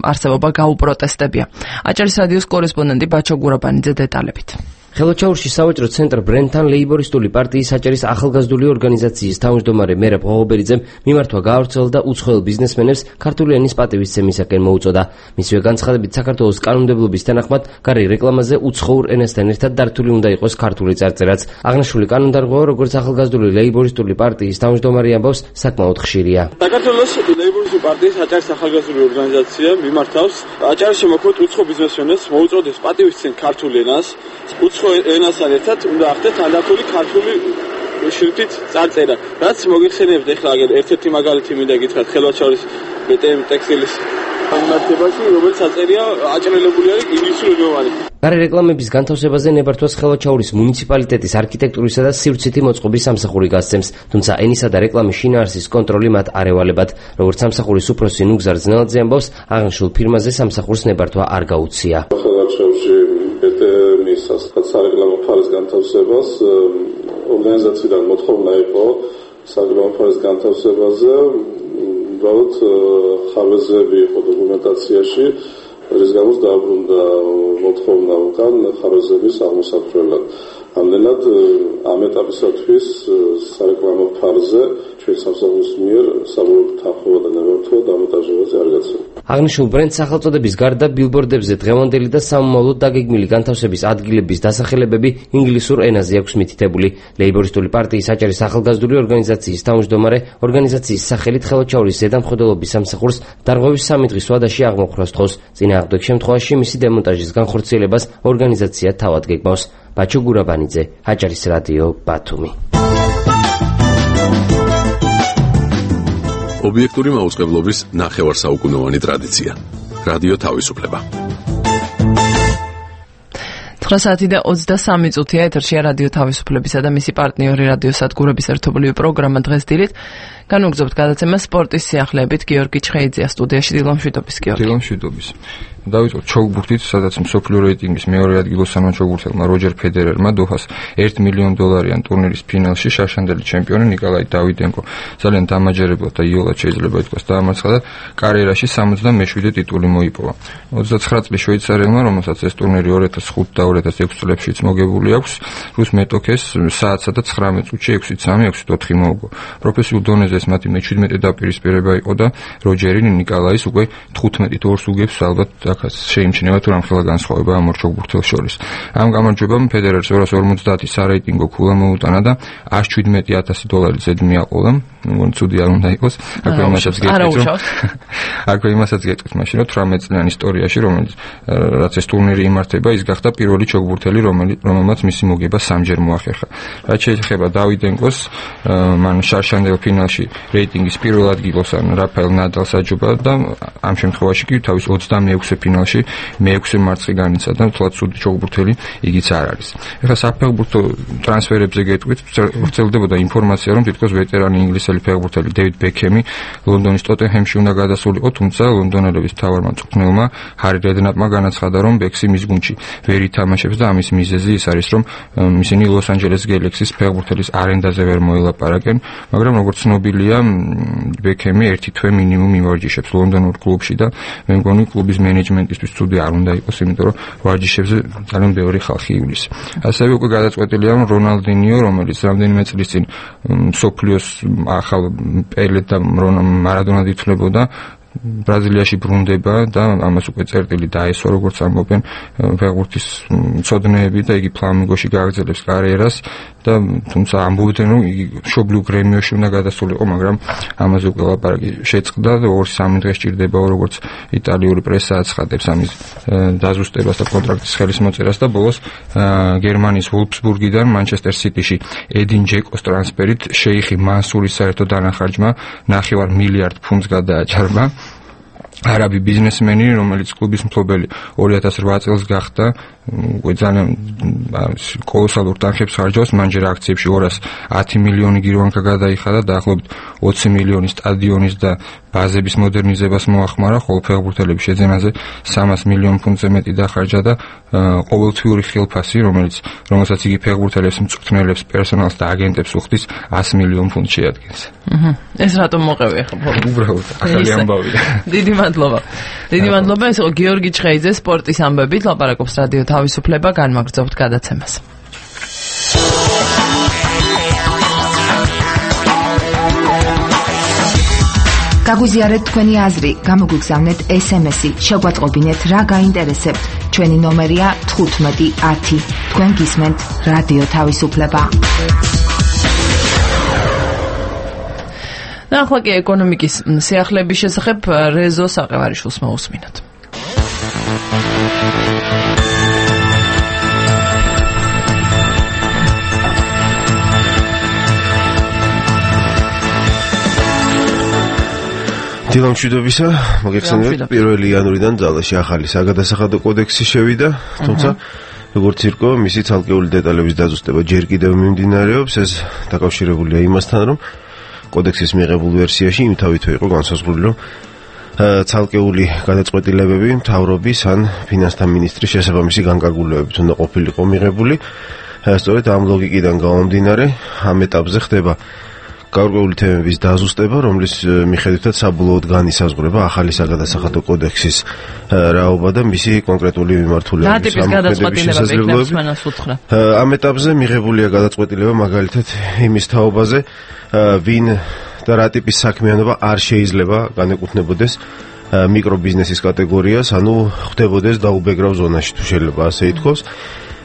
არსებობა გაუპროტესტებია. აჭარის რადიოს კორესპონდენტი ბაჩო გურაბანიძე დეტალებით. ხელვაჩაურში სავაჭრო ცენტრ ბრენდთან ლეიბორისტული პარტიის აჭარის ახალგაზრდული ორგანიზაციის თავმჯდომარე მერაბ ღოღობერიძემ მიმართვა გაავრცელა და უცხოელ ბიზნესმენებს ქართული ენის პატივისცემისაკენ მოუწოდა. მისივე განცხადებით, საქართველოს კანონმდებლობის თანახმად გარე რეკლამაზე უცხოურ ენასთან ერთად დართული უნდა იყოს ქართული წარწერაც. აღნიშნული კანონდარღვევა, როგორც ახალგაზრდული ლეიბორისტული პარტიის თავმჯდომარე ამბობს, საკმაოდ ხშირია. საქართველოს ლეიბორისტული პარტიის აჭარის ახალგაზრდული ორგანიზაცია მიმართავს აჭარის შემოქმედ უცხო ბიზნესმენებს მოუწოდეს პატივისცემ ქართულ ენას. უცხო ენასთან ერთად უნდა ახდეთ თანდათული ქართული შრიფტით წარწერა, რაც მოგიხსენებთ ახლა ერთ-ერთი მაგალითი მინდა გითხრათ ხელვაჩაურის ბტმ ტექსტილის მიმართებაში, რომელიც აწერია აჭრელებული არის ინგლისურენოვანი. გარე რეკლამების განთავსებაზე ნებართვას ხელვაჩაურის მუნიციპალიტეტის არქიტექტურისა და სივრცითი მოწყობის სამსახური გასცემს, თუმცა ენისა და რეკლამის შინაარსის კონტროლი მათ არ ევალებათ. როგორც სამსახურის უფროსი ნუგზარ ძნელაძე ამბობს, აღნიშნულ ფირმაზე სამსახურს ნებართვა არ გაუწია. ხელვაჩაურში ბტმ-ის სარეკლამო ფარის განთავსებას ორგანიზაციიდან მოთხოვნა იყო სარეკლამო ფარის განთავსებაზე, უბრალოდ ხარვეზები იყო დოკუმენტაციაში, რის გამოც დააბრუნდა მოთხოვნა უკან ხარვეზების აღმოსაფრთხებლად. ამდენად ამ ეტაპისათვის სარეკლამო ფარზე ჩვენ სამსახურის მიერ საბოლოო თანხმობა და ნებართვა დამონტაჟებაზე არ გაცემა. აღნიშნულ ბრენდ სახელწოდების გარდა ბილბორდებზე დღევანდელი და სამომავლოდ დაგეგმილი განთავსების ადგილების დასახელებები ინგლისურ ენაზე აქვს მითითებული. ლეიბორისტული პარტიის აჭარის ახალგაზრდული ორგანიზაციის თავმჯდომარე ორგანიზაციის სახელით ხელვაჩაურის ზედამხედველობის სამსახურს დარღვევის სამი დღის ვადაში აღმოხრას თხოვს. წინააღმდეგ შემთხვევაში მისი დემონტაჟის განხორციელებას ორგანიზაცია თავად გეგმავს. ბაჩო გურაბანიძე, აჭარის რადიო, ბათუმი. ობიექტური მაუწყებლობის ნახევარსაუკუნოვანი ტრადიცია. რადიო თავისუფლება. ცხრა საათი და ოცდასამი წუთია ეთერშია რადიო თავისუფლებისა და მისი პარტნიორი რადიო სადგურების ერთობლივი პროგრამა დღეს დილით. განვაგრძობთ გადაცემას სპორტის სიახლეებით. გიორგი ჩხეიძეა სტუდიაში. დილამშვიდობის გიორგი. დილამშვიდობის. დავიწყოთ ჩოგბურთით, სადაც მსოფლიო რეიტინგის მეორე ადგილოსანმა ჩოგბურთელმა როჯერ ფედერერმა დოჰას ერთი მილიონი დოლარიან ტურნირის ფინალში შარშანდელი ჩემპიონი ნიკოლაი დავიდენკო ძალიან დამაჯერებლად და იოლად შეიძლება ითქვას დაამარცხა და კარიერაში სამოცდამეშვიდე ტიტული მოიპოვა. ოცდაცხრა წლის შვეიცარიელმა, რომელსაც ეს ტურნირი ორ ათას ხუთი და ორ ათას ექვსი წლებშიც მოგებული აქვს, რუს მეტოქეს საათსა და ცხრამეტ წუთში ექვსი სამი ექვსი ოთხი მოუგო. პროფესიულ დონეზე ეს მათი მეჩვიდმეტე დაპირისპირება იყო და როჯერი ნიკოლაის უკვე თხუთმეტით ორს უგებს ალბათ აქაც შეიმჩნევა თუ რამხელა განსხვავება ამ ორ ჩოგბურთელს შორის. ამ გამარჯვებამ ფედერერს ორას ორმოცდაათი სარეიტინგო ქულა მოუტანა და ას შვიდმეტი ათასი დოლარი ზედ მიაყოლა. მგონი ცუდი არ უნდა იყოს. აქვე იმასაც გეტყვით. აქვე იმასაც გეტყვით მაშინ რომ თვრამეტ წლიან ისტორიაში, რომელიც რაც ეს ტურნირი იმართება, ის გახდა პირველი ჩოგბურთელი, რომელმაც მისი მოგება სამჯერ მოახერხა. რაც შეეხება დავიდენკოს, მან შარშანდელ ფინალში რეიტინგის პირველ ადგილოსან რაფაელ ნადალს აჯობა და ამ შემთხვევაში კი თავის ოცდამეექვსე ფინალში მეექვსე მარცხი განიცადა, თუმცა ცუდი ჩოგბურთელი იგიც არ არის. ეხლა საფეხბურთო ტრანსფერებზე გეტყვით, ვრცელდებოდა ინფორმაცია, რომ თითქოს ვეტერანი ინგლისელი საფრანგეთელი ფეხბურთელი დევიდ ბექემი ლონდონის ტოტენჰემში უნდა გადასულიყო, თუმცა ლონდონელების მთავარმა მწვრთნელმა ჰარი რედნაპმა განაცხადა, რომ ბექსი მის გუნდში ვერ ითამაშებს და ამის მიზეზი ის არის, რომ ისინი ლოს-ანჯელეს გელექსის ფეხბურთელის არენდაზე ვერ მოელაპარაკენ, მაგრამ როგორც ცნობილია, ბექემი ერთი თვე მინიმუმ იმარჯიშებს ლონდონურ კლუბში და მე მგონი კლუბის მენეჯმენტისთვის ცუდი არ უნდა იყოს, იმიტომ რომ ვარჯიშებზე ძალიან ბევრი ხალხი ივლის. ასევე უკვე გადაწყვეტილია, რომ რონალდინიო, რომელიც რამდენიმე წლის წინ მსოფლიოს ახალ პელედ და მარადონად ითვლებოდა, ბრაზილიაში ბრუნდება და ამას უკვე წერტილი დაესვა, როგორც ამბობენ ფეხბურთის მცოდნეები და იგი ფლამინგოში გააგრძელებს კარიერას და თუმცა ამბობდნენ, რომ იგი მშობლიურ გრემიოში უნდა გადასულიყო, მაგრამ ამაზე უკვე ლაპარაკი შეწყდა და ორი სამი დღე სჭირდება, როგორც იტალიური პრესა აცხადებს ამის დაზუსტებას და კონტრაქტის ხელისმოწერას და ბოლოს გერმანიის ვოლფსბურგიდან მანჩესტერ სიტიში ე딘 ჯეკოს ტრანსფერით შეიხი მანსურის საერთო დანახარჯმა ნახევარ მილიარდ ფუნტს გადააჭარბა. არაბი ბიზნესმენი, რომელიც კლუბის მფლობელი ორი ათას რვა წელს გახდა, უკვე ძალიან კოლოსალურ თანხებს ხარჯავს, მან ჯერ აქციებში ორას ათი მილიონი გირვანკა გადაიხადა, დაახლოებით ოცი მილიონი სტადიონის და ბაზების მოდერნიზებას მოახმარა, ხოლო ფეხბურთელების შეძენაზე სამას მილიონ ფუნტზე მეტი დახარჯა და ყოველთვიური ხელფასი, რომელიც რომელსაც იგი ფეხბურთელებს, მწვრთნელებს, პერსონალს და აგენტებს უხდის ას მილიონ ფუნტს შეადგენს. აჰა. ეს რატომ მოყევი ახლა? უბრალოდ ახალი ამბავია. დიდი მადლობა. დიდი მადლობა, ეს იყო გიორგი ჩხეიძე სპორტის ამბებით, ლაპარაკობს რადიო თავისუფლება, განმაგრძობთ გადაცემას. გაგვიზიარეთ თქვენი აზრი, გამოგვიგზავნეთ ეს ემ ესი, შეგვატყობინეთ რა გაინტერესებთ. ჩვენი ნომერია თხუთმეტი ათი. თქვენ გისმენთ რადიო თავისუფლება. და ახლა კი ეკონომიკის სიახლეების შესახებ რეზო საყევარიშვილს მოусმინოთ. დილა მშვიდობისა, მოგეხსენებათ პირველი იანვრიდან ძალაში ახალი საგადასახადო კოდექსი შევიდა, თუმცა როგორც ირკვევა, მისი ცალკეული დეტალების დაზუსტება ჯერ კიდევ მიმდინარეობს, ეს დაკავშირებულია იმასთან, რომ კოდექსის მიღებულ ვერსიაში იმთავითვე იყო განსაზღვრული, რომ ცალკეული გადაწყვეტილებები მთავრობის ან ფინანსთა მინისტრის შესაბამისი განკარგულებებით უნდა ყოფილიყო მიღებული. სწორედ ამ ლოგიკიდან გამომდინარე, ამ ეტაპზე ხდება გარკვეული თემების დაზუსტება, რომლის მიხედვითაც საბოლოოდ განისაზღვრება ახალი საგადასახადო კოდექსის რაობა და მისი კონკრეტული მიმართულების შესაძლებლობები. ამ ეტაპზე მიღებულია გადაწყვეტილება მაგალითად იმის თაობაზე, ვინ და რა ტიპის საქმიანობა არ შეიძლება განეკუთვნებოდეს მიკრობიზნესის კატეგორიას, ანუ ხდებოდეს დაუბეგრავ ზონაში, თუ შეიძლება ასე ითქვას.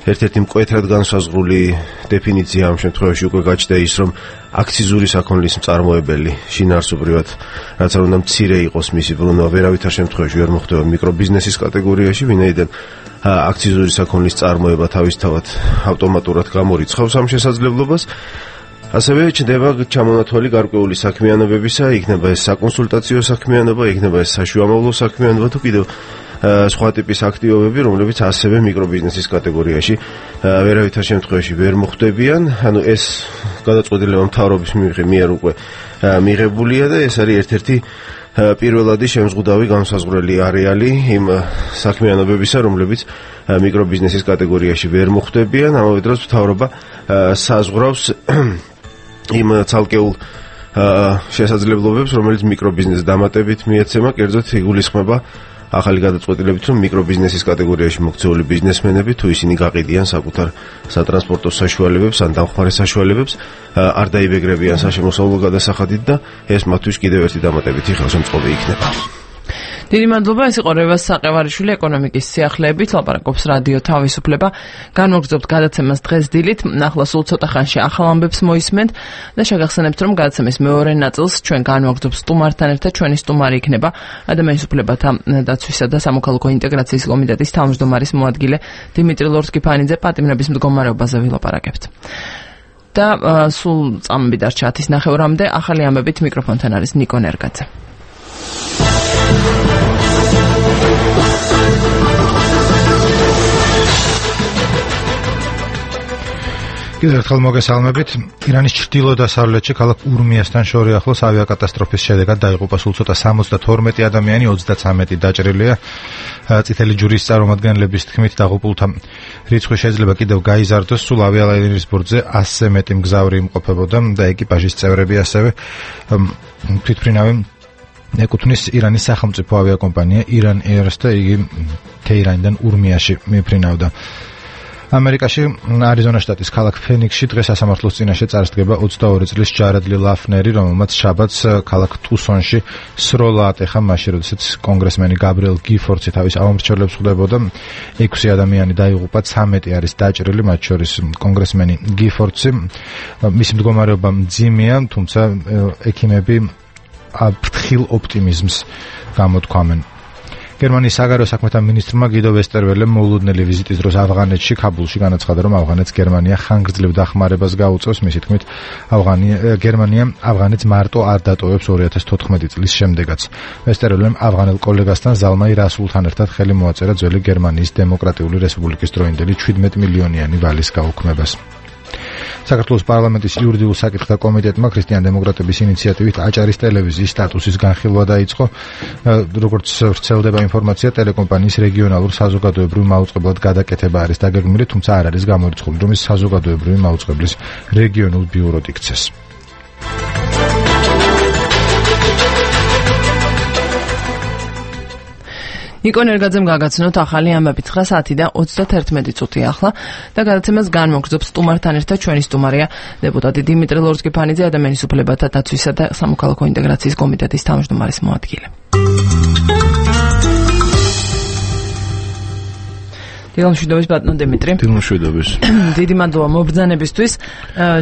ერთ-ერთი მკვეთრად განსაზღვრული დეფინიცია ამ შემთხვევაში უკვე გაჩნდა ის, რომ აქციზური საქონლის მწარმოებელი შინაარსობრივად, რაც არ უნდა მცირე იყოს მისი ბრუნვა, ვერავითარ შემთხვევაში ვერ მოხდება მიკრობიზნესის კატეგორიაში, ვინაიდან აქციზური საქონლის წარმოება თავისთავად ავტომატურად გამორიცხავს ამ შესაძლებლობას. ასევე ჩნდება ჩამონათვალი გარკვეული საქმიანობებისა, იქნება ეს საკონსულტაციო საქმიანობა, იქნება ეს საშუამავლო საქმიანობა თუ კიდევ სხვა ტიპის აქტივობები, რომლებიც ასევე მიკრობიზნესის კატეგორიაში ვერავითარ შემთხვევაში ვერ მოხდებიან. ანუ ეს გადაწყვეტილება მთავრობის მიერ უკვე მიღებულია და ეს არის ერთ-ერთი პირველადი შემზღუდავი განსაზღვრელი არეალი იმ საქმიანობებისა, რომლებიც მიკრობიზნესის კატეგორიაში ვერ მოხდებიან. ამავე დროს მთავრობა საზღვრავს იმ ცალკეულ შესაძლებლობებს, რომელიც მიკრობიზნესს დამატებით მიეცემა, კერძოდ იგულისხმება ახალი გადაწყვეტილებით, რომ მიკრობიზნესის კატეგორიაში მოქცეული ბიზნესმენები, თუ ისინი გაყიდიან საკუთარ სატრანსპორტო საშუალებებს ან დამხმარე საშუალებებს, არ დაიბეგრებიან საშემოსავლო გადასახადით და ეს მათთვის კიდევ ერთი დამატებითი ხელშემწყობი იქნება. დიდი მადლობა, ეს იყო რევაზ საყევარიშვილი ეკონომიკის სიახლეებით, ლაპარაკობს რადიო თავისუფლება. განმოგრძობთ გადაცემას დღეს დილით, ახლა სულ ცოტა ხანში ახალ ამბებს მოისმენთ და შეგახსენებთ, რომ გადაცემის მეორე ნაწილს ჩვენ განმოგრძობთ სტუმართან ერთად, ჩვენი სტუმარი იქნება ადამიანის უფლებათა დაცვისა და სამოქალაქო ინტეგრაციის კომიტეტის თავმჯდომარის მოადგილე დიმიტრი ლორთქიფანიძე. პატიმრების მდგომარეობაზე ვილაპარაკებთ. და სულ წამები დარჩა ათის ნახევრამდე, ახალი ამბებით მიკროფონთან არის ნიკო ნერგაძე. კიდევ ერთხელ მოგესალმებით. ირანის ჩრდილო-დასავლეთში ქალაქ ურმიასთან შორი ახლოს ავიაკატასტროფის შედეგად დაიღუპა სულ ცოტა სამოცდათორმეტი ადამიანი, ოცდაცამეტი დაჭრილია. წითელი ჯვრის წარმომადგენლების თქმით, დაღუპულთა რიცხვი შეიძლება კიდევ გაიზარდოს. სულ ავიალაინერის ბორტზე ასზე მეტი მგზავრი იმყოფებოდა და ეკიპაჟის წევრები ასევე თვითმფრინავი ეკუთვნის ირანის სახელმწიფო ავიაკომპანია Iran Air-ს და იგი თეირანიდან ურმიაში მიფრინავდა. ამერიკაში არიზონა შტატის ქალაქ ფენიქსში დღეს სასამართლოს წინაშე წარსდგება ოცდაორი წლის ჯარედლი ლაფნერი, რომელმაც შაბათს ქალაქ ტუსონში სროლა ატეხა მაშინ, როდესაც კონგრესმენი გაბრიელ გიფორდსი თავის ავამრჩევლებს ხვდებოდა. ექვსი ადამიანი დაიღუპა, ცამეტი არის დაჭრილი, მათ შორის კონგრესმენი გიფორდსი. მისი მდგომარეობა მძიმეა, თუმცა ექიმები ფრთხილ ოპტიმიზმს გამოთქვამენ. გერმანიის საგარეო საქმეთა მინისტრმა გიდო ვესტერველემ მოულოდნელი ვიზიტის დროს ავღანეთში, ქაბულში განაცხადა, რომ ავღანეთს გერმანია ხანგრძლივ დახმარებას გაუწევს. მისი თქმით, გერმანია ავღანეთს მარტო არ დატოვებს ორი ათას თოთხმეტი წლის შემდეგაც. ვესტერველემ ავღანელ კოლეგასთან ზალმაი რასულთან ერთად ხელი მოაწერა ძველი გერმანიის დემოკრატიული რესპუბლიკის დროინდელი შვიდმეტი მილიონიანი ვალის გაუქმებას. საქართველოს პარლამენტის იურიდიულ საკითხთა კომიტეტმა ქრისტიან-დემოკრატების ინიციატივით აჭარის ტელევიზიის სტატუსის განხილვა დაიწყო. როგორც ვრცელდება ინფორმაცია, ტელეკომპანიის რეგიონალურ საზოგადოებრივ მაუწყებლად გადაკეთება არის დაგეგმილი, თუმცა არ არის გამორიცხული, რომ ის საზოგადოებრივი მაუწყებლის რეგიონულ ბიუროდ იქცეს. ნიკო ნერგაძემ გაგაცნოთ ახალი ამბები ცხრა საათი და ოცდათერთმეტი წუთი ახლა და გადაცემას განმოგრძობს სტუმართან ერთად ჩვენი სტუმარია დეპუტატი დიმიტრი ლორწკიფანიძე, ადამიანის უფლებათა დაცვისა და სამოქალაქო ინტეგრაციის კომიტეტის თავმჯდომარის მოადგილე. დილამშვიდობის ბატონო დიმიტრი. დილამშვიდობის. დიდი მადლობა მობრძანებისთვის.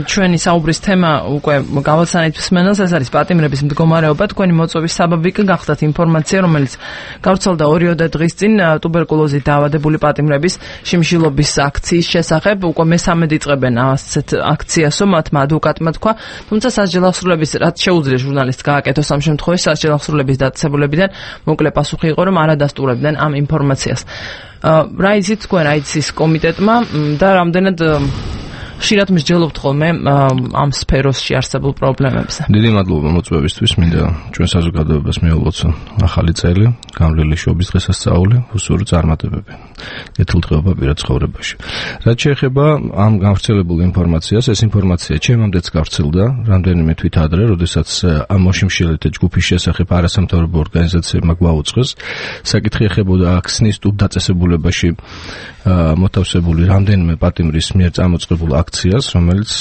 ჩვენი საუბრის თემა უკვე გავაცანით მსმენელს, ეს არის პატიმრების მდგომარეობა. თქვენი მოწვევის საბაბი გახდათ ინფორმაცია, რომელიც გავრცელდა ორიოდე დღის წინ ტუბერკულოზით დაავადებული პატიმრების შიმშილობის აქციის შესახებ. უკვე მესამედ იწყებენ ასეთ აქციასო, მათმა ადვოკატმა თქვა, თუმცა სასჯელ აღსრულების რაც შეუძლია ჟურნალისტს გააკეთოს ამ შემთხვევაში სასჯელ აღსრულების დაწესებულებიდან მოკლე პასუხი იყო, რომ არ ადასტურებდნენ ამ ინფორმაციას. რა იცით თქვენ აიცის კომიტეტმა და რამდენად ხშირად მსჯელობთ ხოლმე ამ სფეროში არსებულ პრობლემებზე? დიდი მადლობა მოწვევისთვის. მინდა ჩვენ საზოგადოებას მიულოცო ახალი წელი, გამრავლელი შობის დღესასწაული, უსურო წარმატებები, კეთილდღეობა პირად ცხოვრებაში. რაც შეეხება ამ გავრცელებულ ინფორმაციას, ეს ინფორმაცია ჩემამდეც გავრცელდა რამდენიმე თვით ადრე, როდესაც ამ მოშიმშილეთ ჯგუფის შესახებ არასამთავრობო ორგანიზაციებმა გვაუწყეს. საკითხი ეხებოდა ქსნის ტუბ დაწესებულებაში მოთავსებული რამდენიმე პატიმრის მიერ წამოწყებულ აქციას, რომელიც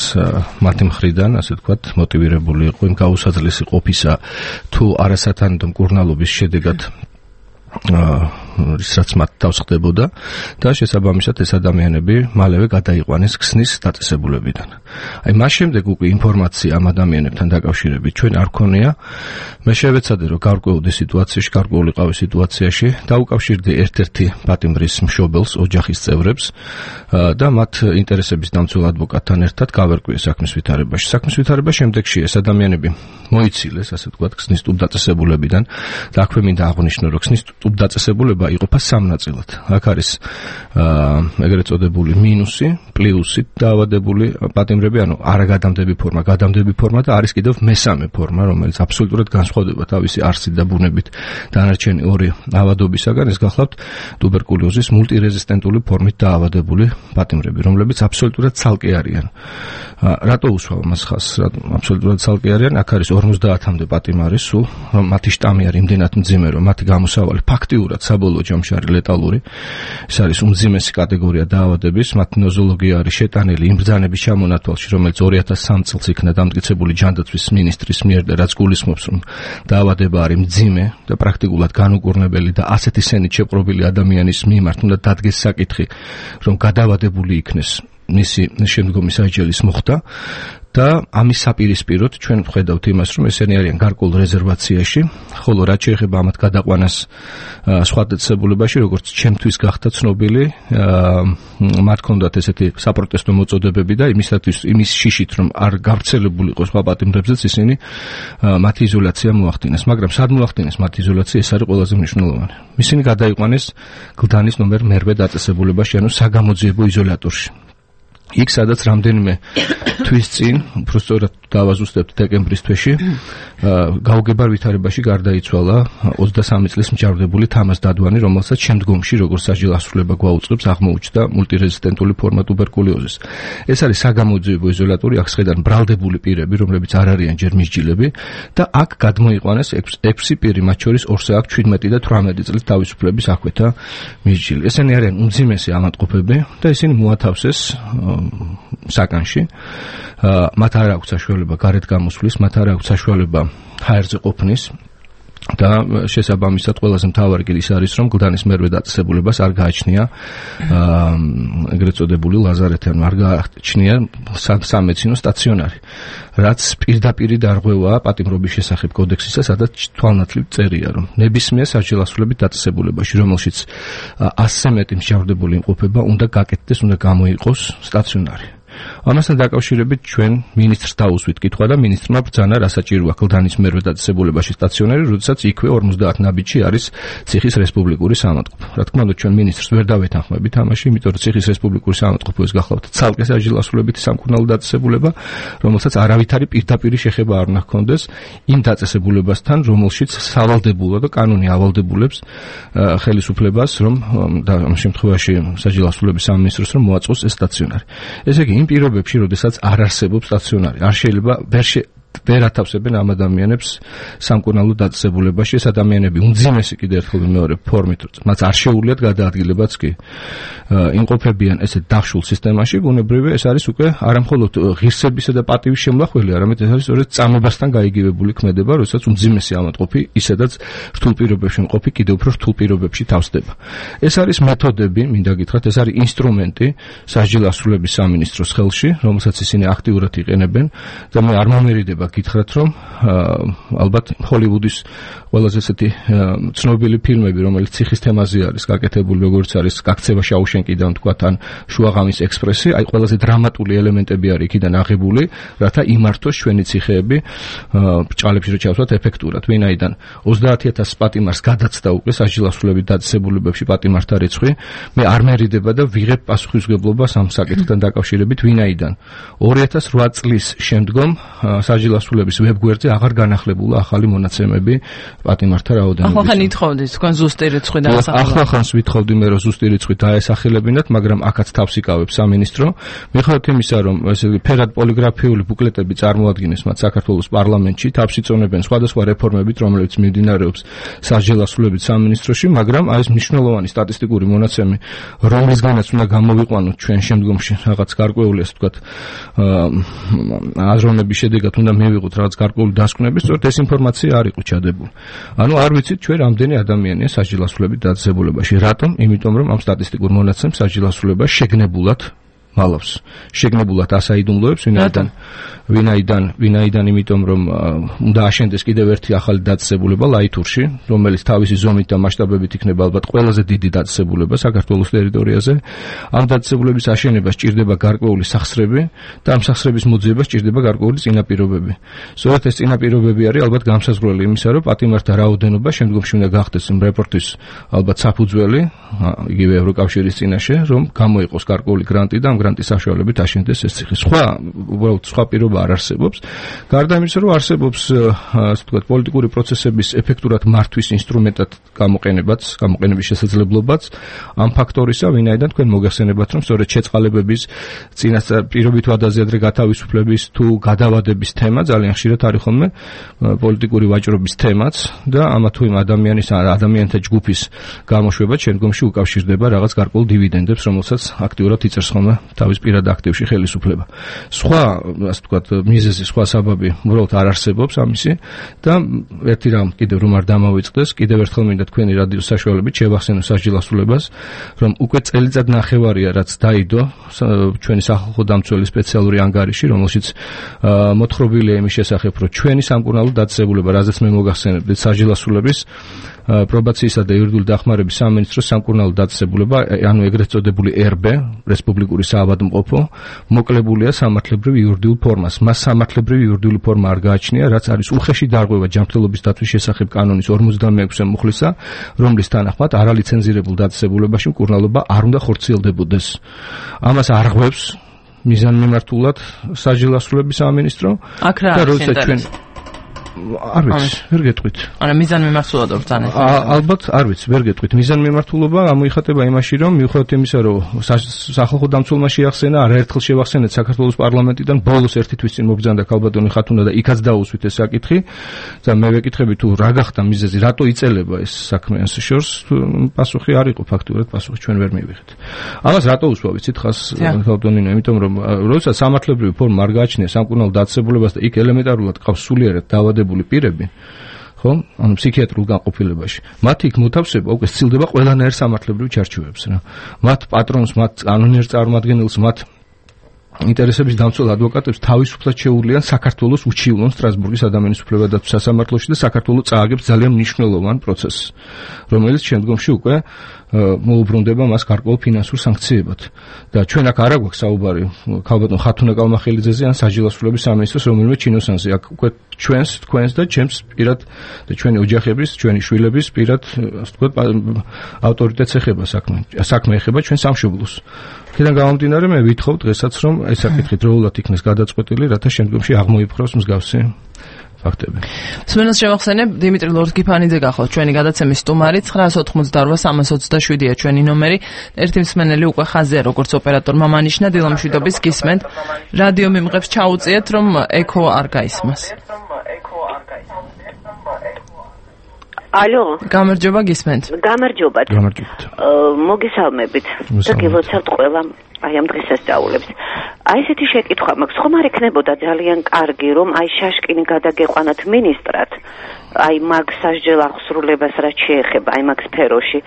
მათი მხრიდან, ასე ვთქვათ, მოტივირებული იყო იმ გაუსაძლესი ყოფისა თუ არასათანადო მკურნალობის შედეგად რაც მათ თავს ხდებოდა და შესაბამისად ეს ადამიანები მალევე გადაიყვანეს ქსნის დაწესებულებიდან. აი მას შემდეგ უკვე ინფორმაცია ამ ადამიანებთან დაკავშირებით ჩვენ არ ქონია. მე შევეცადე რომ გარკვეული სიტუაციაში, გარკვეულიყავი სიტუაციაში დაუკავშირდი ერთ-ერთი პატიმრის მშობელს, ოჯახის წევრებს და მათ ინტერესების დამცველ ადვოკატთან ერთად გავერკვიე საქმის ვითარებაში. საქმის ვითარება შემდეგში ეს ადამიანები მოიცილეს, ასე ვთქვათ, ქსნის ტუბ დაწესებულებიდან და აქვე მინდა აღვნიშნო, რომ ქსნის ტუბ დაწესებულება იყოფა სამ ნაწილად. აქ არის ეგრეთ წოდებული მინუსი, პლუსი დაავადებული პატიმრები, ანუ არაგადამდები ფორმა, გადამდები ფორმა და არის კიდევ მესამე ფორმა, რომელიც აბსოლუტურად განსხვავდება თავისი არსით და ბუნებით დანარჩენი ორი ავადობისაგან. ეს გახლავთ ტუბერკულოზის მულტირეზისტენტული ფორმით დაავადებული პატიმრები, რომლებიც აბსოლუტურად ცალკე არიან. რატო უსვამ მას ხაზს? აბსოლუტურად ცალკე არიან. აქ არის ორმოცდაათამდე პატიმარი სულ, რომ მათი შტამი არის იმდენად მძიმე, რომ მათი გამოსავალი ფაქტიურად საბოლოო ჯამში არის ლეტალური. ეს არის უმძიმესი კატეგორია დაავადების, მათი ნოზოლოგია არის შეტანილი იმ ბრძანების ჩამონათვალში, რომელიც ორი ათას სამი წელს იქნა დამტკიცებული ჯანდაცვის მინისტრის მიერ და რაც გულისხმობს, რომ დაავადება არის მძიმე და პრაქტიკულად განუკურნებელი და ასეთი სენით შეპყრობილი ადამიანის მიმართ უნდა დადგეს საკითხი, რომ გადაავადებული იქნეს მისი შემდგომი საჯელის მოხდა. და ამის საპირისპიროდ ჩვენ ვხედავთ იმას, რომ ესენი არიან გარკვეულ რეზერვაციაში, ხოლო რაც შეეხება ამათ გადაყვანას სხვა დაწესებულებაში, როგორც ჩემთვის გახდა ცნობილი, მათ ჰქონდათ ესეთი საპროტესტო მოწოდებები და იმისათვის იმის შიშით, რომ არ გავრცელებულიყო სხვა პატიმრებზეც, ისინი მათი იზოლაცია მოახდინეს, მაგრამ სად მოახდინეს მათი იზოლაცია, ეს არის ყველაზე მნიშვნელოვანი. ისინი გადაიყვანეს გლდანის ნომერ მერვე დაწესებულებაში, ანუ საგამოძიებო იზოლატორში. იქ სადაც რამდენიმე თვის წინ, უფრო სწორად დავაზუსტებთ დეკემბრის თვეში, გაუგებარ ვითარებაში გარდაიცვალა ოცდასამი წლის მჭარბდებული თამაზ დადვანი, რომელსაც შემდგომში როგორც საჯარო ასრულება გვაუწყებს, აღმოუჩნდა მულტირეზისტენტული ფორმა ტუბერკულოზის. ეს არის საგამოძიებო იზოლატორი, აქ შედან ბრალდებული პირები, რომლებიც არ არიან ჯერ მისჯილები და აქ გადმოიყვანეს ექვსი პირი, მათ შორის ორსა აქვს შვიდმეტი და თვრამეტი წლის თავისუფლების აქვეთა მისჯილი. ესენი არიან უმძიმესი ავადმყოფები და ისინი მოათავსეს საკანში. მათ არ აქვს საშუალება გარეთ გამოსვლის, მათ არ აქვს საშუალება ჰაერზე ყოფნის და შესაბამისად ყველაზე მთავარი კი ის არის, რომ გლდანის მერვე დაწესებულებას არ გააჩნია ეგრეთ წოდებული ლაზარეთი, არ გააჩნია სამედიცინო სტაციონარი, რაც პირდაპირი დარღვევაა პატიმრობის შესახებ კოდექსისა, სადაც თვალნათლივ წერია, რომ ნებისმიერ საჯარო ასრულებით დაწესებულებაში, რომელშიც ასზე მეტი მსჯავრდებული იმყოფება, უნდა გაკეთდეს, უნდა გამოიყოს სტაციონარი. ამასთან დაკავშირებით ჩვენ მინისტრს დაუსვით კითხვა და მინისტრმა ბრძანა, რა საჭიროა გლდანის მერვე დაწესებულებაში სტაციონარი, როდესაც იქვე ორმოცდაათ ნაბიჯში არის ციხის რესპუბლიკური საავადმყოფო. რა თქმა უნდა, ჩვენ მინისტრს ვერ დავეთანხმებით ამაში, იმიტომ რომ ციხის რესპუბლიკური საავადმყოფო ეს გახლავთ ცალკე საჯარო ასრულებითი სამკურნალო დაწესებულება, რომელსაც არავითარი პირდაპირი შეხება არ უნდა ჰქონდეს იმ დაწესებულებასთან, რომელშიც სავალდებულო და კანონი ავალდებულებს ხელისუფლებას, რომ და ამ შემთხვევაში საჯარო ასრულების სამინისტროს რომ მოაწყოს ეს სტაციონარი. ესე იგი იმ პირობებში, როდესაც არ არსებობს სტაციონარი, არ შეიძლება ვერ ვერ ათავსებენ ამ ადამიანებს სამკურნალო დაწესებულებაში. ეს ადამიანები უმძიმესი კიდევ ერთხელ მეორე ფორმით, მათ არ შეუძლიათ გადაადგილებაც კი იმყოფებიან ესეთ დახშულ სისტემაში, ბუნებრივია ეს არის უკვე არამხოლოდ ღირსებისა და პატივის შემლახველი, არამედ ეს არის სწორედ წამებასთან გაიგივებული ქმედება, როდესაც უმძიმესი ავადმყოფი ისედაც რთულ პირობებში მყოფი კიდევ უფრო რთულ პირობებში თავსდება. ეს არის მეთოდები, მინდა გითხრათ, ეს არის ინსტრუმენტი საჯარო ასრულების სამინისტროს ხელში, რომელსაც ისინი აქტიურად იყენებენ და მე არ მომერიდება გითხრათ, რომ ალბათ ჰოლივუდის ყველაზე ესეთი ცნობილი ფილმები, რომელიც ციხის თემაზე არის გაკეთებული, როგორც არის გაქცევა შაუშენკიდან, თქვათ, ან შუაღამის ექსპრესი, აი ყველაზე დრამატული ელემენტები არის იქიდან აღებული, რათა იმართოს ჩვენი ციხეები ბრჭყალებში რო ჩავსვათ ეფექტურად. ვინაიდან ოცდაათი ათასი პატიმარს გადაცდა უკვე საჯარო ასრულებით დაწესებულებებში პატიმართა რიცხვი, მე არ მერიდება და ვიღებ პასუხისმგებლობას ამ საკითხთან დაკავშირებით, ვინაიდან ორი ათას რვა წლის შემდგომ საჯარო ასრულების ვებგვერდზე აღარ განახლებულა ახალი მონაცემები პატიმართა რაოდენობის. ახლა ხან ითხოვდით თქვენ ზუსტი რიცხვი დაასახელოთ. ახლა ხანს ვითხოვდი მე რომ ზუსტი რიცხვი დაესახელებინათ, მაგრამ აქაც თავს იკავებს სამინისტრო. მიუხედავად იმისა, რომ ესე იგი ფერად პოლიგრაფიული ბუკლეტები წარმოადგენს მათ საქართველოს პარლამენტში, თავს იწონებენ სხვადასხვა რეფორმებით, რომლებიც მიმდინარეობს საჯარო ასრულების სამინისტროში, მაგრამ აი ეს მნიშვნელოვანი სტატისტიკური მონაცემი, რომლისგანაც უნდა გამოვიყვანოთ ჩვენ შემდგომში რაღაც გარკვეული, ასე ვთქვათ, აზროვნების შედეგად უნდა მივიღოთ რაღაც გარკვეული დასკვნები, სწორედ ეს ინფორმაცია არ იყო ჩადებული. ანუ არ ვიცით ჩვენ რამდენი ადამიანია საჯარო ასრულებით დაწესებულებაში. რატომ? იმიტომ რომ ამ სტატისტიკურ მონაცემს საჯარო ასრულება შეგნებულად მალავს. შეგნებულად ასაიდუმლოებს, ვინაიდან ვინაიდან ვინაიდან იმიტომ რომ უნდა აშენდეს კიდევ ერთი ახალი დაწესებულება ლაითურში, რომელიც თავისი ზომით და მასშტაბებით იქნება ალბათ ყველაზე დიდი დაწესებულება საქართველოს ტერიტორიაზე. ამ დაწესებულების აშენება სჭირდება გარკვეული სახსრები და ამ სახსრების მოძიება სჭირდება გარკვეული წინაპირობები. სწორედ ეს წინაპირობები არის ალბათ განსაზღვრელი იმისა, რომ პატიმართა რაოდენობა შემდგომში უნდა გახდეს იმ რეპორტის ალბათ საფუძველი, იგივე ევროკავშირის წინაშე, რომ გამოიყოს გარკვეული გრანტი და ამ გრანტის საშუალებით აშენდეს ეს ციხე. სხვა უბრალოდ სხვა პირობა არ არსებობს. გარდა იმისა, რომ არსებობს ასე ვთქვათ პოლიტიკური პროცესების ეფექტურად მართვის ინსტრუმენტად გამოყენებაც, გამოყენების შესაძლებლობაც ამ ფაქტორისა, ვინაიდან თქვენ მოგეხსენებათ, რომ სწორედ შეწყალებების წინასწარ პირობით ვადაზე გათავისუფლების თუ გადავადების თემა ძალიან ხშირად არის ხოლმე პოლიტიკური ვაჭრობის თემაც და ამა თუ იმ ადამიანის ან ადამიანთა ჯგუფის გამოშვება შემდგომში უკავშირდება რაღაც გარკვეულ დივიდენდებს, რომელსაც აქტიურად იწერს ხოლმე თავის პირად აქტივში ხელისუფლება. სხვა, ასე ვთქვათ, მიზეზი, სხვა საბაბი უბრალოდ არ არსებობს ამისი და ერთი რამ კიდევ რომ არ დამავიწყდეს, კიდევ ერთხელ მინდა თქვენი რადიოს საშუალებით შევახსენო საჯარო ასრულებას, რომ უკვე წელიწად ნახევარია რაც დაიდო ჩვენი სახალხო დამცველი სპეციალური ანგარიში, რომელშიც მოთხრობილია იმის შესახებ, რომ ჩვენი სამკურნალო დაწესებულება, რაზეც მე მოგახსენებდით, საჯარო ასრულების პრობაციისა და იურიდიული დახმარების სამინისტროს სამკურნალო დაწესებულება, ანუ ეგრეთ წოდებული er be, რესპუბლიკური საავადმყოფო, მოკლებულია სამართლებრივ იურიდიულ ფორმას. მას სამართლებრივ იურიდიული ფორმა არ გააჩნია, რაც არის უხეში დარღვევა ჯანმრთელობის დაცვის შესახებ კანონის ორმოცდამეექვსე მუხლისა, რომლის თანახმად არალიცენზირებულ დაწესებულებაში მკურნალობა არ უნდა ხორციელდებოდეს. ამას არღვევს მიზანმიმართულად საჯელასრულების სამინისტრო და როცა ჩვენ არ ვიცი, ვერ გეტყვით. არა, მიზანმიმართულად ვბრძანეთ. ალბათ არ ვიცი, ვერ გეტყვით. მიზანმიმართულობა გამოიხატება იმაში, რომ მიუხედავად იმისა, რომ სახალხო დამცველმა შეახსენა, არაერთხელ შევახსენეთ საქართველოს პარლამენტიდან ბოლოს ერთი თვის წინ მობრძანდა ქალბატონი ხათუნა და იქაც დაუსვით ეს საკითხი. და მე ვეკითხები თუ რა გახდა მიზეზი, რატო იწელება ეს საქმე ამ შორს, პასუხი არ იყო ფაქტურად, პასუხი ჩვენ ვერ მივიღეთ. ამას რატო უსვა ვიცით ხას ქალბატონინო, იმიტომ რომ როდესაც სამართლებრივი ფორმა არ გააჩნია სამკურნალო დაწესებულებას და იქ ელემენტარულად ყავს სულიერად დაავადებული პირები, ხო? ანუ ფსიქიატრიულ განყოფილებაში. მათ იქ მოთავსება უკვე სცილდება ყველანაირ სამართლებრივ ჩარჩოებს რა. მათ პატრონს, მათ კანონიერ წარმომადგენელს, მათ ინტერესების დამცველ ადვოკატებს თავისუფლად შეუძლიან საქართველოს უჩივლონ სტრასბურგის ადამიანის უფლებათა დაცვის სასამართლოში და საქართველოს წააგებს ძალიან მნიშვნელოვან პროცესს, რომელიც შემდგომში უკვე მოუბრუნდება მას გარკვეულ ფინანსურ სანქციებად. და ჩვენ აქ არ აგვაქვს საუბარი ქალბატონ ხათუნა კალმახელიძეზე ან საჯელასრულების სამინისტროს რომელიმე ჩინოსანზე. აქ უკვე ჩვენს, თქვენს და ჩემს პირად და ჩვენი ოჯახების, ჩვენი შვილების პირად, ასე ვთქვათ, ავტორიტეტს ეხება საქმე. საქმე ეხება ჩვენ სამშობლოს. აქედან გამომდინარე მე ვითხოვ დღესაც რომ ეს საკითხი დროულად იქნეს გადაწყვეტილი, რათა შემდგომში აღმოიფხვროს მსგავსი ფაქტები. სმენელს შევახსენებ, დიმიტრი ლორდ-გიფანიძე გახოთ ჩვენი გადაცემის სტუმარი. ცხრაას ოცდაოთხმოცდაორვა სამას ოცდაშვიდია ჩვენი ნომერი. ერთი მსმენელი უკვე ხაზია, როგორც ოპერატორმა მანიშნა დილამშვიდობის გისმენთ. რადიო მიმღებს ჩაუწიეთ, რომ ეკო არ გაისმას. ალო. გამარჯობა, გისმენთ. გამარჯობათ. გამარჯობათ. მოგესალმებით. და გილოცავთ ყველა აი ამ დღესასწაულებს. აი ესეთი შეკითხვა მაქვს, ხომ არ ექნებოდა ძალიან კარგი, რომ აი შაშკინი გადაგეყვანათ მინისტრად, აი მაგ სასჯელ აღსრულებას რაც შეეხება აი მაგ სფეროში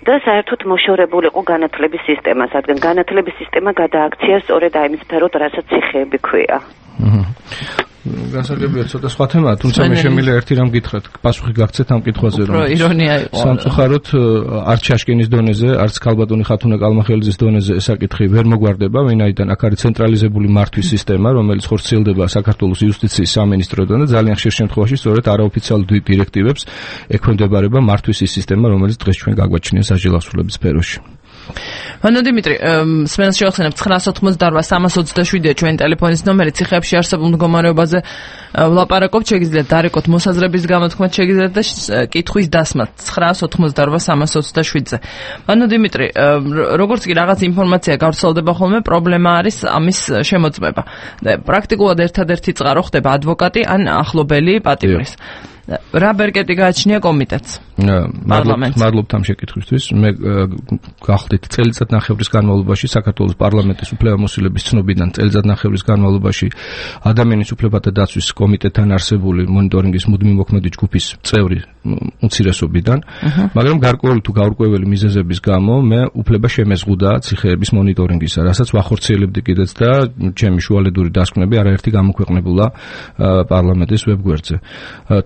და საერთოდ მოშორებული იყო განათლების სისტემა, რადგან განათლების სისტემა გადააქცია სწორედ აი იმ სფეროდ, რასაც ციხეები ქვია. გასაგებია ცოტა სხვა თემაა, თუმცა მე შემიძლია ერთი რამ გითხრათ, პასუხი გაგცეთ ამ კითხვაზე, რომ ირონია იყო. სამწუხაროდ არც შაშკინის დონეზე, არც ქალბატონი ხათუნა კალმახელიძის დონეზე ეს საკითხი ვერ მოგვარდება, ვინაიდან აქ არის ცენტრალიზებული მართვის სისტემა, რომელიც ხორციელდება საქართველოს იუსტიციის სამინისტროდან და ძალიან ხშირ შემთხვევაში სწორედ არაოფიციალურ დირექტივებს ექვემდებარება მართვის ის სისტემა, რომელიც დღეს ჩვენ გაგვაჩნია საჯელასრულების სფეროში. ანუ დიმიტრი, სმენელს შევახსენებ ცხრაას ოცდაოთხმოცდაორვა სამას ოცდაშვიდია ჩვენი ტელეფონის ნომერი. ციხეებში არსებულ მდგომარეობაზე ვლაპარაკობთ, შეგიძლიათ დარეკოთ მოსაზრების გამოთქმაც, შეგიძლიათ და კითხვის დასმათ ცხრაას ოცდაოთხმოცდაორვა სამას ოცდაშვიდზე. ანუ დიმიტრი, როგორც კი რაღაც ინფორმაცია გავრცელდება ხოლმე, პრობლემა არის ამის შემოწმება. პრაქტიკულად ერთადერთი წყარო ხდება ადვოკატი ან ახლობელი პატიმრის. რა ბერკეტი გააჩნია კომიტეტს? მადლობთ ამ შეკითხვისთვის. მე გახდით წელიწად ნახევრის განმავლობაში საქართველოს პარლამენტის უფლებამოსილების ცნობიდან წელიწად ნახევრის განმავლობაში ადამიანის უფლებათა დაცვის კომიტეტთან არსებული მონიტორინგის მუდმივი მოქმედი ჯგუფის წევრი უმცირესობიდან, მაგრამ გარკვეული თუ გაურკვეველი მიზეზების გამო მე უფლება შემეზღუდა ციხეების მონიტორინგისა, რასაც ვახორციელებდი კიდეც და ჩემი შუალედური დასკვნები არაერთი გამოქვეყნებულა პარლამენტის ვებგვერდზე.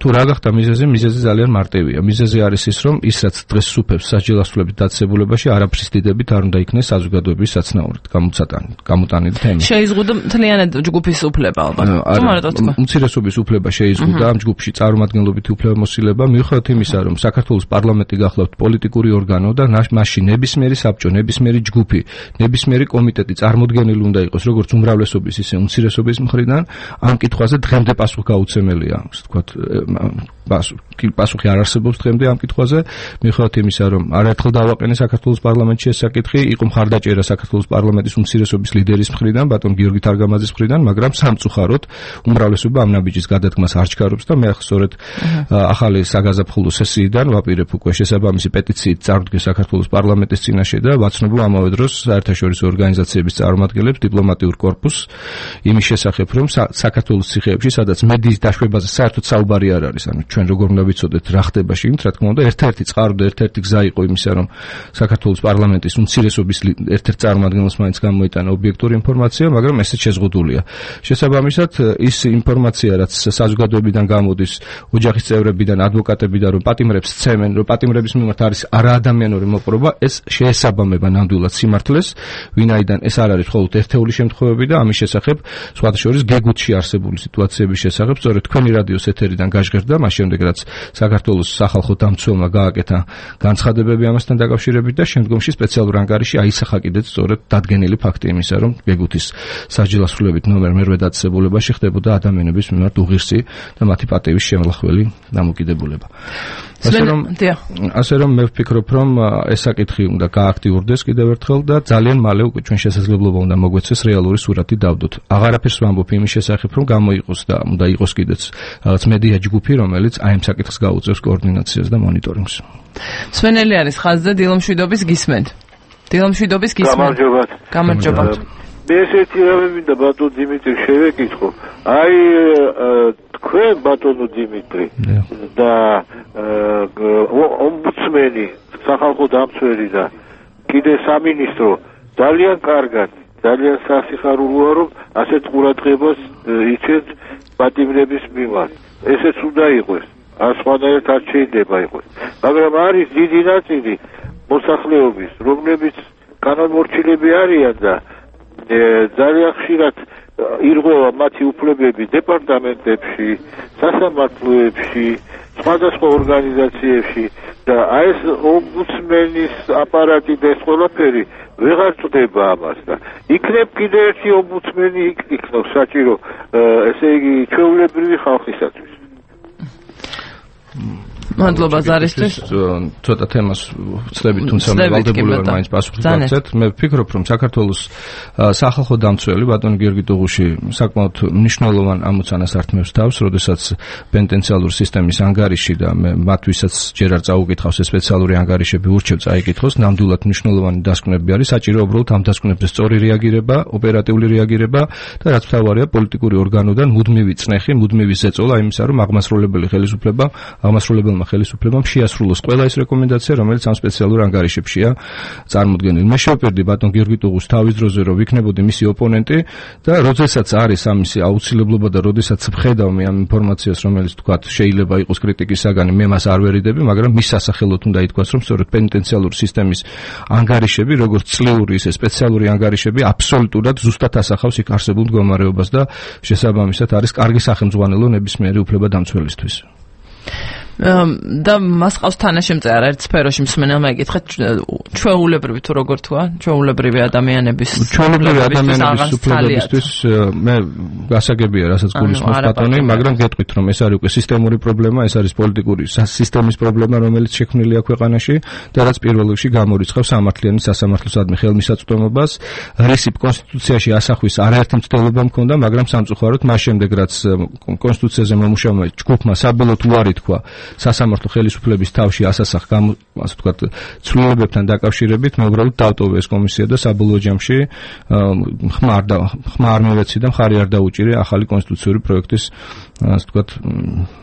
თუ რა გახდა მიზეზი? მიზეზი ძალიან მარტივია. მიზეზი არის ის, რომ ის რაც დღეს სუფევს საჯელასრულების დაწესებულებაში არაფრის დიდებით არ უნდა იქნეს საზოგადოების საცნაურად გამოტანილი თემა. შეიზღუდა მთლიანად ჯგუფის უფლება ალბათ. უმცირესობის უფლება შეიზღუდა ამ ჯგუფში წარმომადგენლობითი უფლებამოსილება, მიუხედავად იმისა, რომ საქართველოს პარლამენტი გახლავთ პოლიტიკური ორგანო და მასში ნებისმიერი საბჭო, ნებისმიერი ჯგუფი, ნებისმიერი კომიტეტი წარმოდგენილი უნდა იყოს როგორც უმრავლესობის, ისე უმცირესობის მხრიდან, ამ კითხვაზე დღემდე პასუხი გაუცემელია, ასე ვთქვათ, პასუხი არ არსებობს დღემდე ამ კითხვაზე, მიუხედავად იმისა, რომ არაერთხელ დავაყენე საქართველოს პარლამენტში ეს საკითხი, იყო მხარდაჭერა საქართველოს პარლამენტის უმცირესობის ლიდერის მხრიდან, ბატონ გიორგი თარგამაძის მხრიდან, მაგრამ სამწუხაროდ უმრავლესობა ამ ნაბიჯის გადადგმას არ ჩქარობს და მე სწორედ ახალი საგაზაფხულო სესიიდან ვაპირებ უკვე შესაბამისი პეტიციით წარდგეს საქართველოს პარლამენტის წინაშე და ვაცნობ ამავე დროს საერთაშორისო ორგანიზაციების წარმომადგენლებს, დიპლომატიურ კორპუსს იმის შესახებ, რომ საქართველოს ციხეებში, სადაც მედიის დაშვებაზე საერთოდ საუბარი არ არის, ანუ ჩვენ როგორ უნდა ვიცოდეთ რა ხდება შიგნით, რა თქმა უნდა, ერთ-ერთი წყარო და ერთ-ერთი გზა იყო იმისა, რომ საქართველოს პარლამენტის უმცირესობის ერთ-ერთ წარმომადგენელს მაინც გამოიტანა ობიექტური ინფორმაცია, მაგრამ ესეც შეზღუდულია. შესაბამისად, ის ინფორმაცია, რაც საზოგადოებიდან გამოდის, ოჯახის წევრებიდან, ადვოკატებიდან, რომ პატიმრებს სცემენ, რომ პატიმრების მიმართ არის არაადამიანური მოპყრობა, ეს შეესაბამება ნამდვილად სიმართლეს, ვინაიდან ეს არ არის მხოლოდ ერთეული შემთხვევები და ამის შესახებ, სხვათა შორის გეგუთში არსებული სიტუაციების შესახებ, სწორედ თქვენი რადიოს ეთერიდან გაჟღერდა, მაშინ შემდეგ რაც საქართველოს სახალხო დამცველმა გააკეთა განცხადებები ამასთან დაკავშირებით და შემდგომში სპეციალურ ანგარიში აისახა კიდეც სწორედ დადგენილი ფაქტი იმისა, რომ გეგუთის სასჯელასრულებით ნომერ მერვე დაწესებულებაში ხდებოდა ადამიანების მიმართ უღირსი და მათი პატივის შემლახველი დამოკიდებულება. ასე რომ ასე რომ მე ვფიქრობ, რომ ეს საკითხი უნდა გააქტიურდეს კიდევ ერთხელ და ძალიან მალე უკვე ჩვენ შესაძლებლობა უნდა მოგვეცეს რეალური სურათი დავდოთ. აღარაფერს ვამბობ იმის შესახებ, რომ გამოიყოს და უნდა იყოს კიდეც რაღაც მედია ჯგუფი, რომელიც აი ამ საკითხს გაუწევს კოორდინაციას და მონიტორინგს. სვენელი არის ხაზზე, დილომშვიდობის გისმენთ. დილომშვიდობის გისმენთ. გამარჯობათ. გამარჯობათ. მე ესეთი რამე მინდა ბატონ დიმიტრი შევეკითხო. აი თქვენ ბატონო დიმიტრი და ომბუდსმენი, სახალხო დამცველი და კიდე სამინისტრო ძალიან კარგად, ძალიან სასიხარულოა, რომ ასეთ ყურადღებას იცეთ პატიმრების მიმართ. ესეც უნდა იყოს, არ სხვანაირად არ შეიძლება იყოს. მაგრამ არის დიდი ნაწილი მოსახლეობის, რომლებიც განამორჩილები არიან და ძალიან ხშირად ირღვევა მათი უფლებები დეპარტამენტებში, სასამართლოებში, სხვადასხვა ორგანიზაციებში და აი ეს ომბუდსმენის აპარატი და ეს ყველაფერი ვეღარ წდება ამას და იქნებ კიდე ერთი ომბუდსმენი იქნებს საჭირო, ესე იგი ჩვეულებრივი ხალხისათვის. მადლობა ზარისთვის. ცოტა თემას ვწლებით, თუმცა მე ვალდებული ვარ მაინც პასუხი გავცეთ. მე ვფიქრობ, რომ საქართველოს სახალხო დამცველი ბატონი გიორგი ტუღუში საკმაოდ მნიშვნელოვან ამოცანას ართმევს თავს, როდესაც პენტენციალურ სისტემის ანგარიში და მე მათვისაც ჯერ არ წაუკითხავს ეს სპეციალური ანგარიშები ურჩევ წაიკითხოს, ნამდვილად მნიშვნელოვანი დასკვნები არის, საჭირო უბრალოდ ამ დასკვნებზე სწორი რეაგირება, ოპერატიული რეაგირება და რაც მთავარია პოლიტიკური ორგანოდან მუდმივი წნეხი, მუდმივი ზეწოლა იმისა, რომ აღმასრულებელი ხელისუფლება, აღმასრულებელმა ხელისუფლებამ შეასრულოს ყველა ეს რეკომენდაცია, რომელიც ამ სპეციალურ ანგარიშებშია წარმოდგენილი. მე შევპირდი ბატონ გიორგი ტუღუს თავის დროზე, რომ ვიქნებოდი მისი ოპონენტი და როდესაც არის ამისი აუცილებლობა და როდესაც ვხედავ მე ამ ინფორმაციას, რომელიც თქვათ შეიძლება იყოს კრიტიკის საგანი, მე მას არ ვერიდები, მაგრამ მის სასახელოდ უნდა ითქვას, რომ სწორედ პენტენციალურ სისტემის ანგარიშები, როგორც წლიური ისე სპეციალური ანგარიშები, აბსოლუტურად ზუსტად ასახავს იქ არსებულ მდგომარეობას და შესაბამისად არის კარგი სახელმძღვანელო ნებისმიერი უფლება დამცველისთვის. და მას ყავს თანაშემწე არაერთ სფეროში მსმენელმა ეკითხა ჩვეულებრივი თუ როგორ თქვა ჩვეულებრივი ადამიანების ჩვეულებრივი ადამიანების უფლებებისთვის მე გასაგებია რასაც გულისხმობს ბატონი, მაგრამ გეტყვით რომ ეს არის უკვე სისტემური პრობლემა, ეს არის პოლიტიკური სისტემის პრობლემა, რომელიც შექმნილია ქვეყანაში და რაც პირველ რიგში გამორიცხავს სამართლიანი სასამართლოსადმი ხელმისაწვდომობას. რისი კონსტიტუციაში ასახვის არაერთი მცდელობა მქონდა, მაგრამ სამწუხაროდ მას შემდეგ რაც კონსტიტუციაზე მომუშავებმა ჯგუფმა საბოლოოდ უარი თქვა სასამართლო ხელისუფლების თავში ასასახ ასე ვთქვათ ცვლილებებთან დაკავშირებით, მე უბრალოდ დავტოვე ეს კომისია და საბოლოო ჯამში ხმარ და ხმარ მივეცი და მხარი არ დაუჭირე ახალი კონსტიტუციური პროექტის ასე ვთქვათ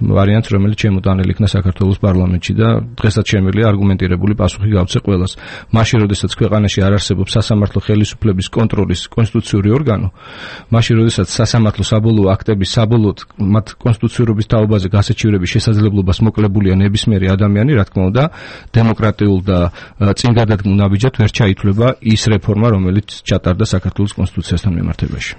ვარიანტს, რომელიც შემოტანილი იქნა საქართველოს პარლამენტში და დღესაც შემიძლია არგუმენტირებული პასუხი გავცე ყველას. მაშინ, როდესაც ქვეყანაში არ არსებობს სასამართლო ხელისუფლების კონტროლის კონსტიტუციური ორგანო, მაშინ, როდესაც სასამართლო საბოლოო აქტების საბოლოოდ მათ კონსტიტუციურობის თაობაზე გასაჩივრების შესაძლებლობას მოკლებულია ნებისმიერი ადამიანი, რა თქმა უნდა, დემოკრატიულ და წინგადადგმულ ნაბიჯად ვერ ჩაითვლება ის რეფორმა, რომელიც ჩატარდა საქართველოს კონსტიტუციასთან მიმართებაში.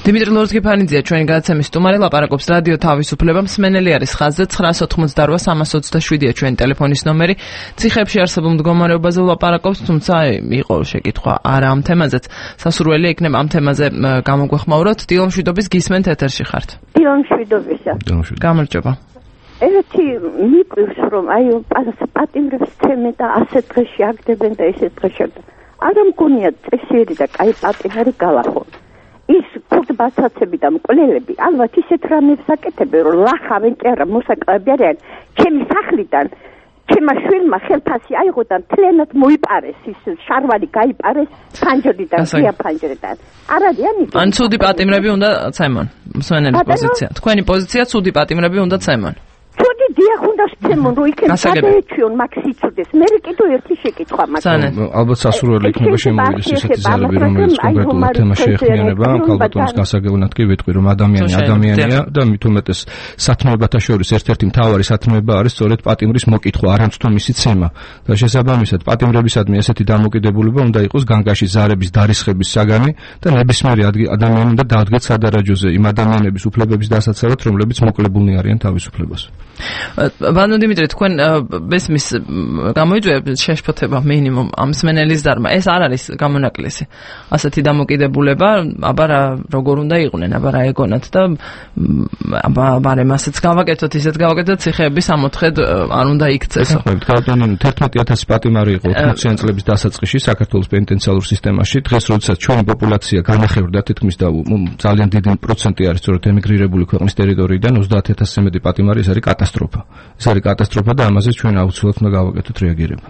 დიმიტრი ლორთგიფანიძეა ჩვენი გადაცემის სტუმარი, ლაპარაკობს რადიო თავისუფლება. მსმენელი არის ხაზზე ცხრაას ოთხმოცდაოთხ სამას ოცდაშვიდია ჩვენი ტელეფონის ნომერი. ციხეებში არსებულ მდგომარეობაზე ვლაპარაკობს, თუმცა იყო შეკითხვა არა ამ თემაზეც. სასურველია იქნება ამ თემაზე გამოგვეხმაუროთ. დილომშვიდობის გისმენთ, ეთერში ხართ. დილომშვიდობისა. გამარჯობა. ერთი მიყვირს რომ აი პატიმრებს ცემენ და ასეთ დღეში აგდებენ და ესეთ დღეში არ მგონია წესიერი და კაი პატიმარი გალახონ. ის ქურდბასაცები და მკვლელები ალბათ ისეთ რამებს აკეთებენ, რომ ლახავენ კი არა მოსაკლები არიან. ჩემი სახლიდან ჩემმა შვილმა ხელფასი აიღო და მთლიანად მოიპარეს, ის შარვალი გაიპარეს ფანჯრიდან, ღია ფანჯრიდან. არ არიან იქ. ან ცუდი პატიმრები უნდა ცემონ. მსმენელის პოზიცია. თქვენი პოზიცია ცუდი პატიმრები უნდა ცემონ. ცუდი დიახ უნდა შეცემონ რომ იქნებ გადაეჩვიონ მაგ სიცოდეს. მე კიდევ ერთი შეკითხვა მაქვს. ალბათ სასურველი იქნება შემოვიდეს ესეთი ზარები, რომელიც კონკრეტულად თემას შეეხმიანება. ქალბატონის გასაგებნად კი ვიტყვი რომ ადამიანი ადამიანია და მით უმეტეს სათნოებათა შორის ერთ-ერთი მთავარი სათნოება არის სწორედ პატიმრის მოკითხვა, არამც თუ მისი ცემა. და შესაბამისად პატიმრებისადმი ესეთი დამოკიდებულება უნდა იყოს განგაში ზარების დარისხების საგანი და ნებისმიერი ადამიანი უნდა დაადგეთ სადარაჯოზე იმ ადამიანების უფლებების დასაცავად, რომლებიც მოკლებულნი არიან თავისუფლებას. ბანო დიმიტრი, თქვენ ბესმის გამოიწვია შეშფოთება მინიმუმ ამ მსმენელის დარმა. ეს არ არის გამონაკლისი. ასეთი დამოკიდებულება, აბა როგორ უნდა იყვნენ, აბა რა ეგონათ და აბა ბარემ ასეც გავაკეთოთ, ისეთ გავაკეთოთ, ციხეების ამოთხედ არ უნდა იქცესო. თერთმეტი ათასი პატიმარი იყო ოცდაათი წლების დასაწყისში საქართველოს პენიტენციალურ სისტემაში. დღეს როდესაც ჩვენი პოპულაცია განახევრდა თითქმის და ძალიან დიდი პროცენტი არის სწორედ ემიგრირებული ქვეყნის ტერიტორიიდან ოცდაათი ათასზე მეტი პატიმარი, ეს არის კატასტროფა. ეს არის კატასტროფა და ამაზე ჩვენ აუცილებლად უნდა გავაკეთოთ რეაგირება.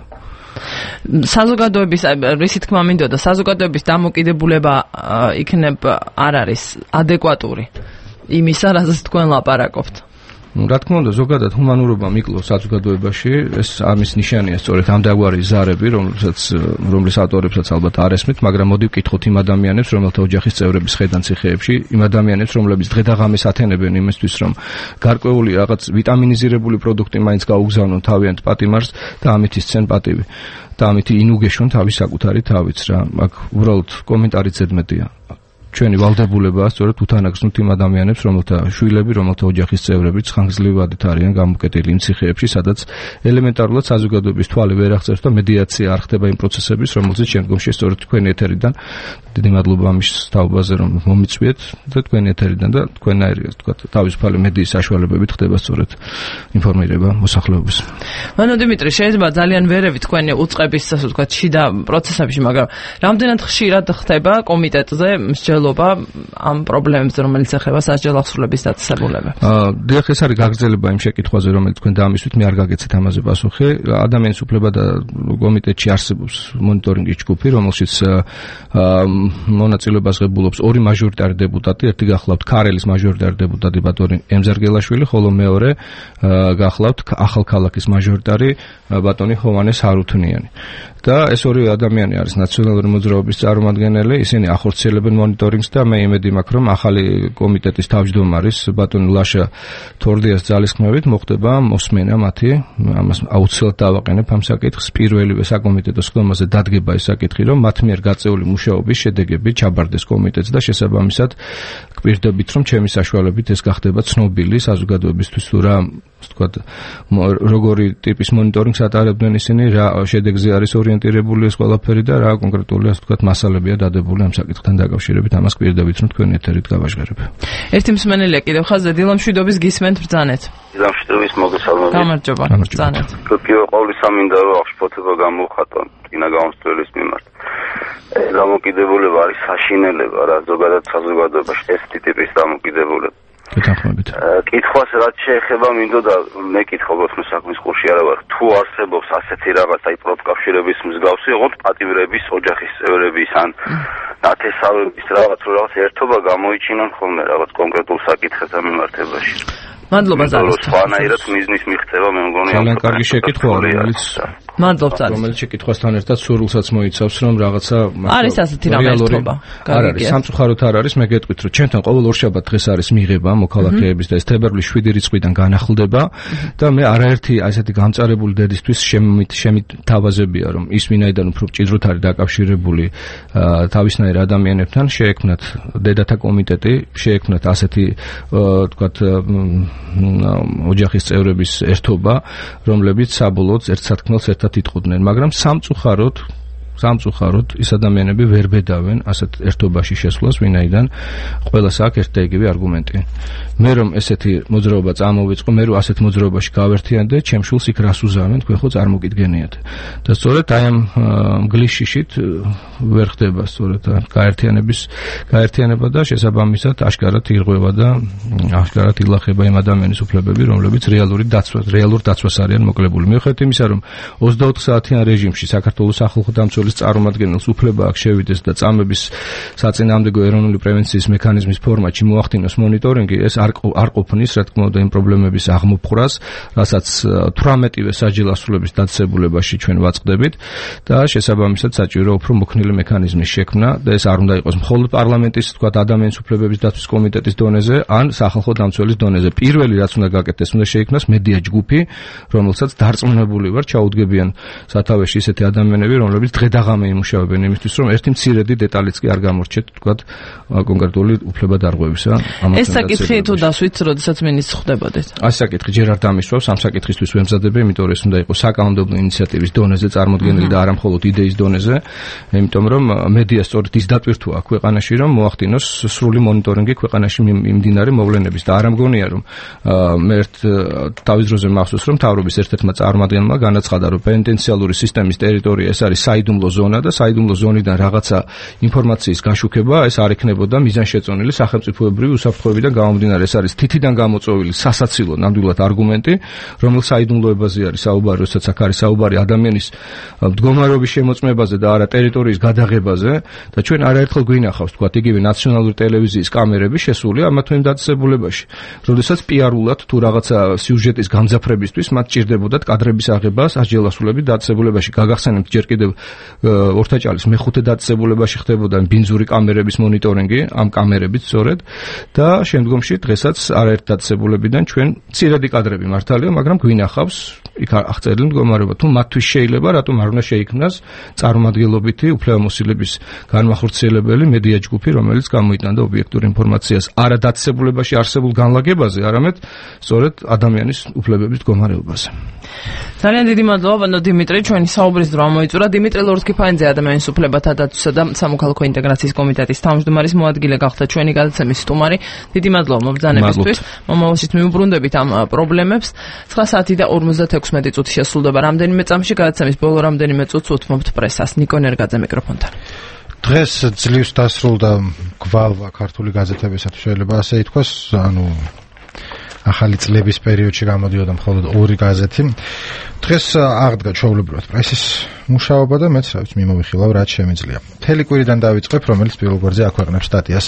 საზოგადოების რისი თქმა მინდოდა, საზოგადოების დამოკიდებულება იქნებ არ არის ადეკვატური იმისა, რაზეც თქვენ ლაპარაკობთ. Ну, რა თქმა უნდა, ზოგადად ჰუმანურობა მიკლოს საზოგადოებაში, ეს ამის ნიშანია სწორედ ამ დაგვარი ზარები, რომელსაც რომლის ავტორებსაც ალბათ არ ესმით, მაგრამ მოდი ვკითხოთ იმ ადამიანებს, რომელთა ოჯახის წევრების ხედან ციხეებში, იმ ადამიანებს, რომლებიც დღე-დაღამის ათენებენ იმისთვის, რომ გარკვეული რაღაც ვიტამინიზირებული პროდუქტი მაინც გაუგზავნონ თავიანთ პატიმარს და ამით ისცენ პატივი. და ამით ინუგეშონ თავის საკუთარი თავიც რა. აქ უბრალოდ კომენტარი ზედმეტია. ჩვენი ვალდებულებაა სწორედ უთანაგზნოთ იმ ადამიანებს, რომელთა შვილები, რომელთა ოჯახის წევრებიც ხანგრძლივად არიან გამოკეტილი იმ ციხეებში, სადაც ელემენტარულად საზოგადოების თვალი ვერ აღწევს და მედიაცია არ ხდება იმ პროცესების, რომელზეც შემდგომში სწორედ თქვენი ეთერიდან დიდი მადლობა ამის თაობაზე, რომ მომიწვიეთ და თქვენი ეთერიდან და თქვენაირი, თქვა, თავისუფალი მედიის საშუალებებით ხდება სწორედ ინფორმირება მოსახლეობის. მანო დიმიტრი, შეიძლება ძალიან ვერევი თქვენი უწყების, ასე ვთქვათ, შიდა პროცესებში, მაგრამ რამდენად ხშირად ხდება კომიტეტზე ამ პრობლემებზე, რომელიც ეხება სასჯელ აღსრულების დაწესებულებებს. აა, დიახ, ეს არის გაგრძელება იმ შეკითხვაზე, რომელიც თქვენ დაამისვით, მე არ გაგეცეთ ამაზე პასუხი. ადამიანის უფლება და კომიტეტში არსებობს მონიტორინგის ჯგუფი, რომელშიც აა მონაწილეობას ღებულობს ორი მაჟორიტარი დეპუტატი, ერთი გახლავთ ქარელის მაჟორიტარი დეპუტატი ბატონი ემზარგელაშვილი, ხოლო მეორე გახლავთ ახალქალაქის მაჟორიტარი ბატონი ჰოვანეს ჰარუთნიანი. და ეს ორი ადამიანი არის ნაციონალური მოძრაობის წარმომადგენელი, ისინი ახორციელებენ მონიტორინგს და მე იმედი მაქვს, რომ ახალი კომიტეტის თავმჯდომარის ბატონ ლაშა თორდიას ძალისხმევით მოხდება მოსმენა მათი, ამას აუცილებლად დავაყენებ ამ საკითხს, პირველივე საკომიტეტო სხდომაზე დადგება ეს საკითხი, რომ მათ მიერ გაწეული მუშაობის შედეგები ჩაბარდეს კომიტეტს და შესაბამისად გვპირდებით, რომ ჩემი საშუალებით ეს გახდება ცნობილი საზოგადოებისთვის, თუ რა ვთქვათ, როგორი ტიპის მონიტორინგს ატარებდნენ ისინი, რა შედეგზე არის ორიენტირებული ეს ყველაფერი და რა კონკრეტული, ასე ვთქვათ, მასალებია დადებული ამ საკითხთან დაკავშირებით, ამას გვპირდებით, რომ თქვენი ეთერით გავაჟღერებ. ერთი მსმენელია კიდევ ხაზზე, დილამშვიდობის გისმენთ ბრძანეთ. დილამშვიდობის მოგესალმებით. გამარჯობა. ბრძანეთ. პირველ ყოვლისა მინდა რომ აღშფოთება გამოვხატო წინა გამოსწორების მიმართ. ეს დამოკიდებულება არის საშინელება რა, ზოგადად საზოგადოებაში ეს ტიპის დამოკიდებულება. გეთანხმებით. კითხვას რაც შეეხება მინდოდა მე კითხულობ საქმის ყურში არა ვარ, თუ არსებობს ასეთი რაღაც აი პროფკავშირების მსგავსი, ოღონდ პატიმრების, ოჯახის წევრების ან ნათესავების რაღაც რაღაც ერთობა გამოიჩინონ ხოლმე რაღაც კონკრეტულ საკითხებთან მიმართებაში. მადლობა ზალოს. სხვანაირად მიზნის მიღწევა მე მგონი ძალიან კარგი შეკითვა, რომელიც მადლობ ზალოს. რომელიც შეკითხვასთან ერთად სურვილსაც მოიცავს, რომ რაღაცა არის ასეთი რაღაცა. არ არის, სამწუხაროდ არ არის, მე გეტყვით, რომ ჩემთან ყოველ ორშაბათ დღეს არის მიღება მოქალაქეების და ეს თებერვლის შვიდი რიცხვიდან განახლდება და მე არაერთი ასეთი გამწარებული დედისთვის შემით შემითავაზებია, რომ ის ვინაიდან უფრო მჭიდროდ არის დაკავშირებული თავისნაირ ადამიანებთან, შეექმნათ დედათა კომიტეტი, შეექმნათ ასეთი თქვათ ოჯახის წევრების ერთობა, რომლებიც საბოლოოდ ერთ სათქმელს ერთად იტყუდნენ, მაგრამ სამწუხაროდ სამწუხაროდ ის ადამიანები ვერ ბედავენ ასეთ ერთობაში შესვლას, ვინაიდან ყველას აქვს ერთ და იგივე არგუმენტი. მე რომ ესეთი მოძრაობა წამოვიწყო, მე რომ ასეთ მოძრაობაში გავერთიანდე, ჩემ შულს იქ რას უზავენ, თქვენ ხო წარმოგიდგენიათ. და სწორედ აი ამ გლიშიშით ვერ ხდება სწორედ გაერთიანების გაერთიანება და შესაბამისად აშკარად ირღვევა და აშკარად ილახება იმ ადამიანის უფლებები, რომლებიც რეალური დაცვა, რეალურ დაცვას არიან მოკლებული. მიუხედავად იმისა, რომ ოცდაოთხ საათიან რეჟიმში საქართველოს სახალხო დამცველი სისტემის წარმომადგენელს უფლება აქვს შევიდეს და წამების საწინააღმდეგო ეროვნული პრევენციის მექანიზმის ფორმატში მოახდინოს მონიტორინგი, ეს არ არ ყოფნის, რა თქმა უნდა, იმ პრობლემების აღმოფხვრას, რასაც თვრამეტივე საჯარო ასრულების დაწესებულებაში ჩვენ ვაწყდებით და შესაბამისად საჭირო უფრო მოქნილი მექანიზმის შექმნა და ეს არ უნდა იყოს მხოლოდ პარლამენტის, თქვა, ადამიანის უფლებების დაცვის კომიტეტის დონეზე, ან სახალხო დამცველის დონეზე. პირველი რაც უნდა გაკეთდეს, უნდა შეიქმნას მედია ჯგუფი, რომელსაც დარწმუნებული ვარ, ჩაუდგებიან სათავეში ისეთი ადამიანები, რომლებიც დღე და ღამე იმუშავებენ იმისთვის, რომ ერთი მცირედი დეტალიც კი არ გამორჩეთ, თქვა, კონკრეტული უფლება დარღვევისა. ეს საკითხი თუ დასვით, როდესაც მინისტრს ხვდებოდეთ? ეს საკითხი ჯერ არ დამისვავს, ამ საკითხისთვის ვემზადებ, იმიტომ რომ ეს უნდა იყოს საკანონმდებლო ინიციატივის დონეზე წარმოქმნილი და არა მხოლოდ იდეის დონეზე, იმიტომ რომ მედია სწორედ ის დატვირთვა ქვეყანაში, რომ მოახდინოს სრული მონიტორინგი ქვეყანაში მიმდინარე მოვლენების და არ ამგონია რომ მე ერთ თავის დროზე მახსოვს რომ თავრობის ერთ-ერთმა წარმომადგენელმა განაცხადა რომ პენიტენციალური სისტემის ტერიტორია ეს არის საიდუმლო ზონა და საიდუმლო ზონიდან რაღაცა ინფორმაციის გაშუქება ეს არ ექნებოდა მიზანშეწონილი სახელმწიფოებრივი უსაფრთხოებიდან გამომდინარე ეს არის თითიდან გამოწვეული სასაცილო ნამდვილად არგუმენტი რომელიც საიდუმლოებაზე არის საუბარი როდესაც აქ არის საუბარი ადამიანის მდგომარეობის შემოწმებაზე და არა ტერიტორიის გადაღებაზე და ჩვენ არაერთხელ გვინახავს თქვა იგივე ნაციონალური ტელევიზიის კამერები შესული ამა თუ იმ დაწესებულებაში. როდესაც პიარულად თუ რაღაცა სიუჟეტის გამძაფრებისთვის მათ ჭირდებოდათ კადრების აღება სასჯელასრულების დაწესებულებაში. გაგახსენებთ ჯერ კიდევ ორთაჭალის მეხუთე დაწესებულებაში ხდებოდა ბინძური კამერების მონიტორინგი, ამ კამერებით სწორედ და შემდგომში დღესაც არაერთ დაწესებულებიდან ჩვენ მცირედი კადრები მართალია, მაგრამ გვინახავს იქ აღწერილი მდგომარეობა. თუ მათთვის შეიძლება, რატომ არ უნდა შეიქმნას წარმომადგენლობითი უფლებამოსილების განმახორციელებელი მედია ჯგუფი, რომელიც გამოიტანდა ობიექტურ ინფორმაციას არა დაწესებულებაში არსებულ განლაგებაზე, არამედ სწორედ ადამიანის უფლებების მდგომარეობაზე. ძალიან დიდი მადლობა, ბატონო დიმიტრი, ჩვენი საუბრის დრო მოიწურა. დიმიტრი ლორსკი-ფაინძე ადამიანის უფლებათა დაცვისა და სამოქალაქო ინტეგრაციის კომიტეტის თავმჯდომარის მოადგილე გახდა ჩვენი გადაცემის სტუმარი. დიდი მადლობა მობრძანებისთვის. მომავალშიც მივუბრუნდებით ამ პრობლემებს. ცხრა საათი და ორმოცდაექვსმეტი წუთი შესრულდება რამდენიმე წამში გადაცემის ბოლო რამდენიმე წუთს უთმობთ პრესას. ნიკო ნერგაძე მიკროფონთან. დღეს ძლივს დასრულდა გვალვა ქართული გაზეთებისათვის შეიძლება ასე ითქვას, ანუ ახალი წლების პერიოდში გამოდიოდა მხოლოდ ორი გაზეთი. დღეს აღდგა ჩვეულებრივად პრესის მუშაობა და მეც რა ვიცი მიმოვიხილავ რაც შემიძლია. მთელი კვირიდან დავიწყებ, რომელიც პირველ გვერდზე აქვეყნებს სტატიას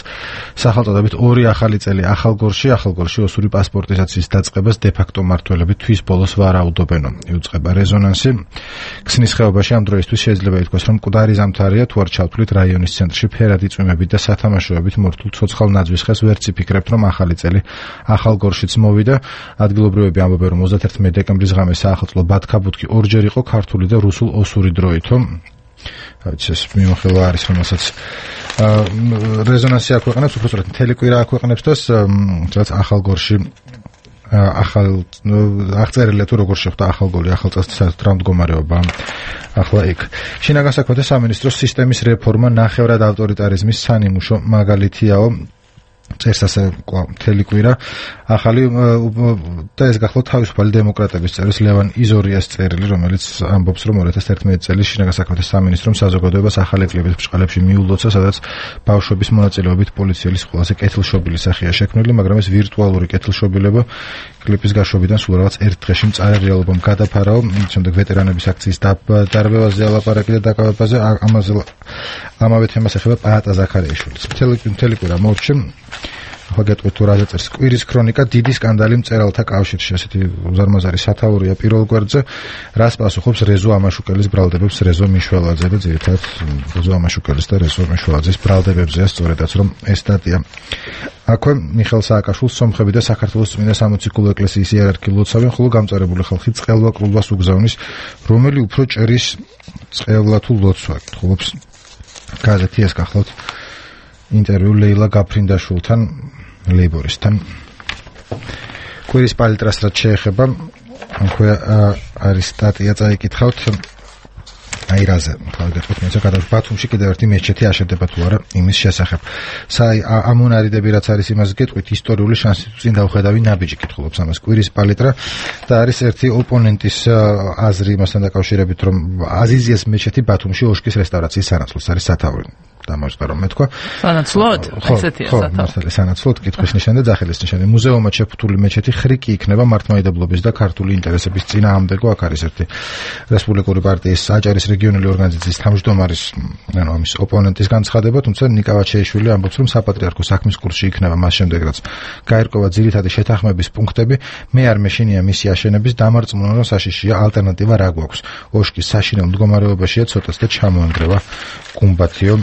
სახელწოდებით ორი ახალი წელი ახალგორში, ახალგორში ოსური პასპორტიზაციის დაწყებას დე-ფაქტო მმართველები თვის ბოლოს ვარაუდობენო. იუწყება რეზონანსი. ქსნის ხეობაში ამ დროისთვის შეიძლება ითქვას, რომ მკვდარი ზამთარია, თუ არ ჩავთვლით რაიონის ცენტრში ფერადი წვიმებით და სათამაშოებით მორთულ ცოცხალ ნაძვის ხეს ვერც იფიქრებთ, რომ ახალი წელი ახალგორშიც მოვიდა. ადგილობრივები ამბობენ, რომ ოცდათერთმეტი დეკემბრის ღამე საახალწლო ბათქაბუთქი ორჯერ იყო ქართული და რუსულ ოსური დროითო. რაც ეს მიმოხილვა არის, რომელსაც რეზონანსი აქვეყნებს, უბრალოდ მთელი კვირა აქვეყნებს და რაც ახალგორში ახალ აღწერილია თუ როგორ შეხვდა ახალგორი ახალ წელს საერთოდ რა მდგომარეობა ახლა იქ. შინაგან საქმეთა სამინისტროს სისტემის რეფორმა ნახევრად ავტორიტარიზმის სანიმუშო მაგალითიაო. წერს ასე მთელი კვირა ახალი და ეს გახლავთ თავისუფალი დემოკრატების წერის ლევან იზორიას წერილი, რომელიც ამბობს, რომ ორი ათას ერთმეტი წლის შინაგან საქმეთა სამინისტრომ საზოგადოებას ახალი ეკლების ბრჭყალებში მიულოცა, სადაც ბავშვების მონაწილეობით პოლიციელის ყველაზე კეთილშობილი სახეა შექმნილი, მაგრამ ეს ვირტუალური კეთილშობილება კლიპის გაშვებიდან სულ რაღაც ერთ დღეში მწარე რეალობამ გადაფარაო. შემდეგ ვეტერანების აქციის დარბევაზე ალაპარაკი და დაკავებაზე ამაზე ამავე თემას ეხება პაატა ზაქარიაშვილის. მთელი მთელი კვირა მორჩი ახლა გეტყვით თუ რაზე წერს. კვირის ქრონიკა დიდი სკანდალი მწერალთა კავშირში, ასეთი უზარმაზარი სათაურია პირველ გვერდზე. რას პასუხობს რეზო ამაშუკელის ბრალდებებს რეზო მიშველაძე და ძირითადად რეზო ამაშუკელის და რეზო მიშველაძის ბრალდებებზეა სწორედაც რომ ეს სტატია. აქვე მიხეილ სააკაშვილს სომხები და საქართველოს წმინდა სამოციქულო ეკლესიის იერარქი ლოცავენ, ხოლო გამწარებული ხალხი წყელვა კლუბას უგზავნის, რომელი უფრო ჭერის წყევლა თუ ლოცვა. გითხულობს გაზეთი ეს გახლავთ ინტერვიუ ლეილა გაფრინდაშვილთან, ლეიბორისტთან. კვირის პალიტრას რაც შეეხება, აქვე არის სტატია წაიკითხავთ აი რაზე, თავგეთქვით მე ზოგადად ბათუმში კიდევ ერთი მეჩეთი აშენდება თუ არა იმის შესახებ. საი ამონარიდები რაც არის იმას გეტყვით, ისტორიული შანსი წინ დავხედავი ნაბიჯი კითხულობს ამას კვირის პალიტრა და არის ერთი ოპონენტის აზრი იმასთან დაკავშირებით, რომ აზიზიას მეჩეთი ბათუმში ოშკის რესტავრაციის სანაცვლოდ არის სათაური. დამოუკიდებლობა მე თქვა. სანაცვლოდ, ესეთია სათავე. ხო, მართალია, სანაცვლოდ კითხვის ნიშანი და ძახილის ნიშანი. მუზეუმად შეფუთული მეჩეთი ხრიკი იქნება მართლმადიდებლობის და ქართული ინტერესების წინააღმდეგო. აქ არის ერთი რესპუბლიკური პარტიის აჭარის რეგიონული ორგანიზაციის თავმჯდომარის, ანუ ამის ოპონენტის განცხადება, თუმცა ნიკა ვაჩეიშვილი ამბობს, რომ საპატრიარქო საქმის კურსში იქნება მას შემდეგ, რაც გაერკვა ძირითადი შეთანხმების პუნქტები, მე არ მეშინია მისი აშენების დამარწმუნა საშიშია, ალტერნატივა რა გვაქვს. ოშკის საშინელ მდგომარეობაშია ცოტას და ჩამოანგრევა გუმბათიო.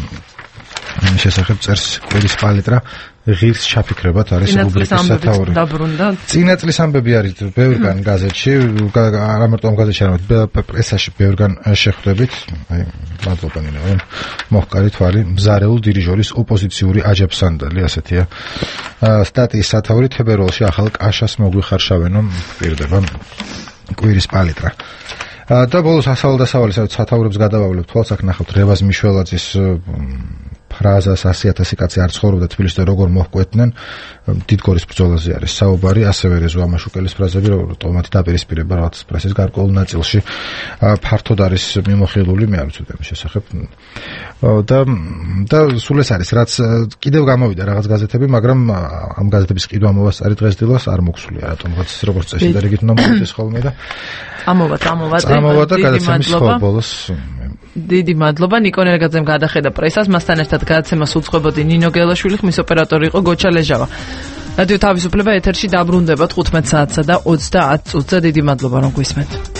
შესახებ წერს კვირის პალიტრა ღირს ჩაფიქრებათ არის რუბრიკის სათაური. წინა წლის ამბები არის ბევრგან გაზეთში, არა მარტო ამ გაზეთში, არამედ პრესაში ბევრგან შეხვდებით. აი, მადლობა ნინო, მოჰყარი თვალი, მზარეულ დირიჟორის ოპოზიციური აჯაფსანდალი, ასეთია. სტატიის სათაური თებერვალში ახალ კაშას მოგვიხარშავენო, პირდება კვირის პალიტრა. და ბოლოს ასავალ-დასავალი სათაურებს გადავავლებ, თვალს აქ ნახავთ რევაზ მიშველაძის ფრაზას ასი ათასი კაცი არ ცხოვრობდა თბილისში და როგორ მოჰკვეთნენ დიდგორის ბრძოლაზე არის საუბარი, ასევე რეზო ამაშუკელის ფრაზები, რომ ტომათი დაპირისპირება რაღაც პრესის გარკვეულ ნაწილში ფართოდ არის მიმოხილული, მე არ ვიცოდი ამის შესახებ. და და სულ ეს არის, რაც კიდევ გამოვიდა რაღაც გაზეთები, მაგრამ ამ გაზეთების ყიდვა მოვასწარი დღესდილას არ მოგვსულია, რატომღაც როგორც წესი და რიგით უნდა მოვიდეს ხოლმე და ამოვათ, ამოვათ, ამოვათ და გადაცემის ხოლბოლოს დიდი მადლობა ნიკო ნერგაძემ გადახედა პრესას, მასთან ერთად გადაცემას უძღვებოდი ნინო გელაშვილი, ხმის ოპერატორი იყო გოჩა ლეჟავა. რადიო თავისუფლება ეთერში დაბრუნდება თხუთმეტ საათსა და ოცდაათ წუთზე. დიდი მადლობა რომ გვისმენთ.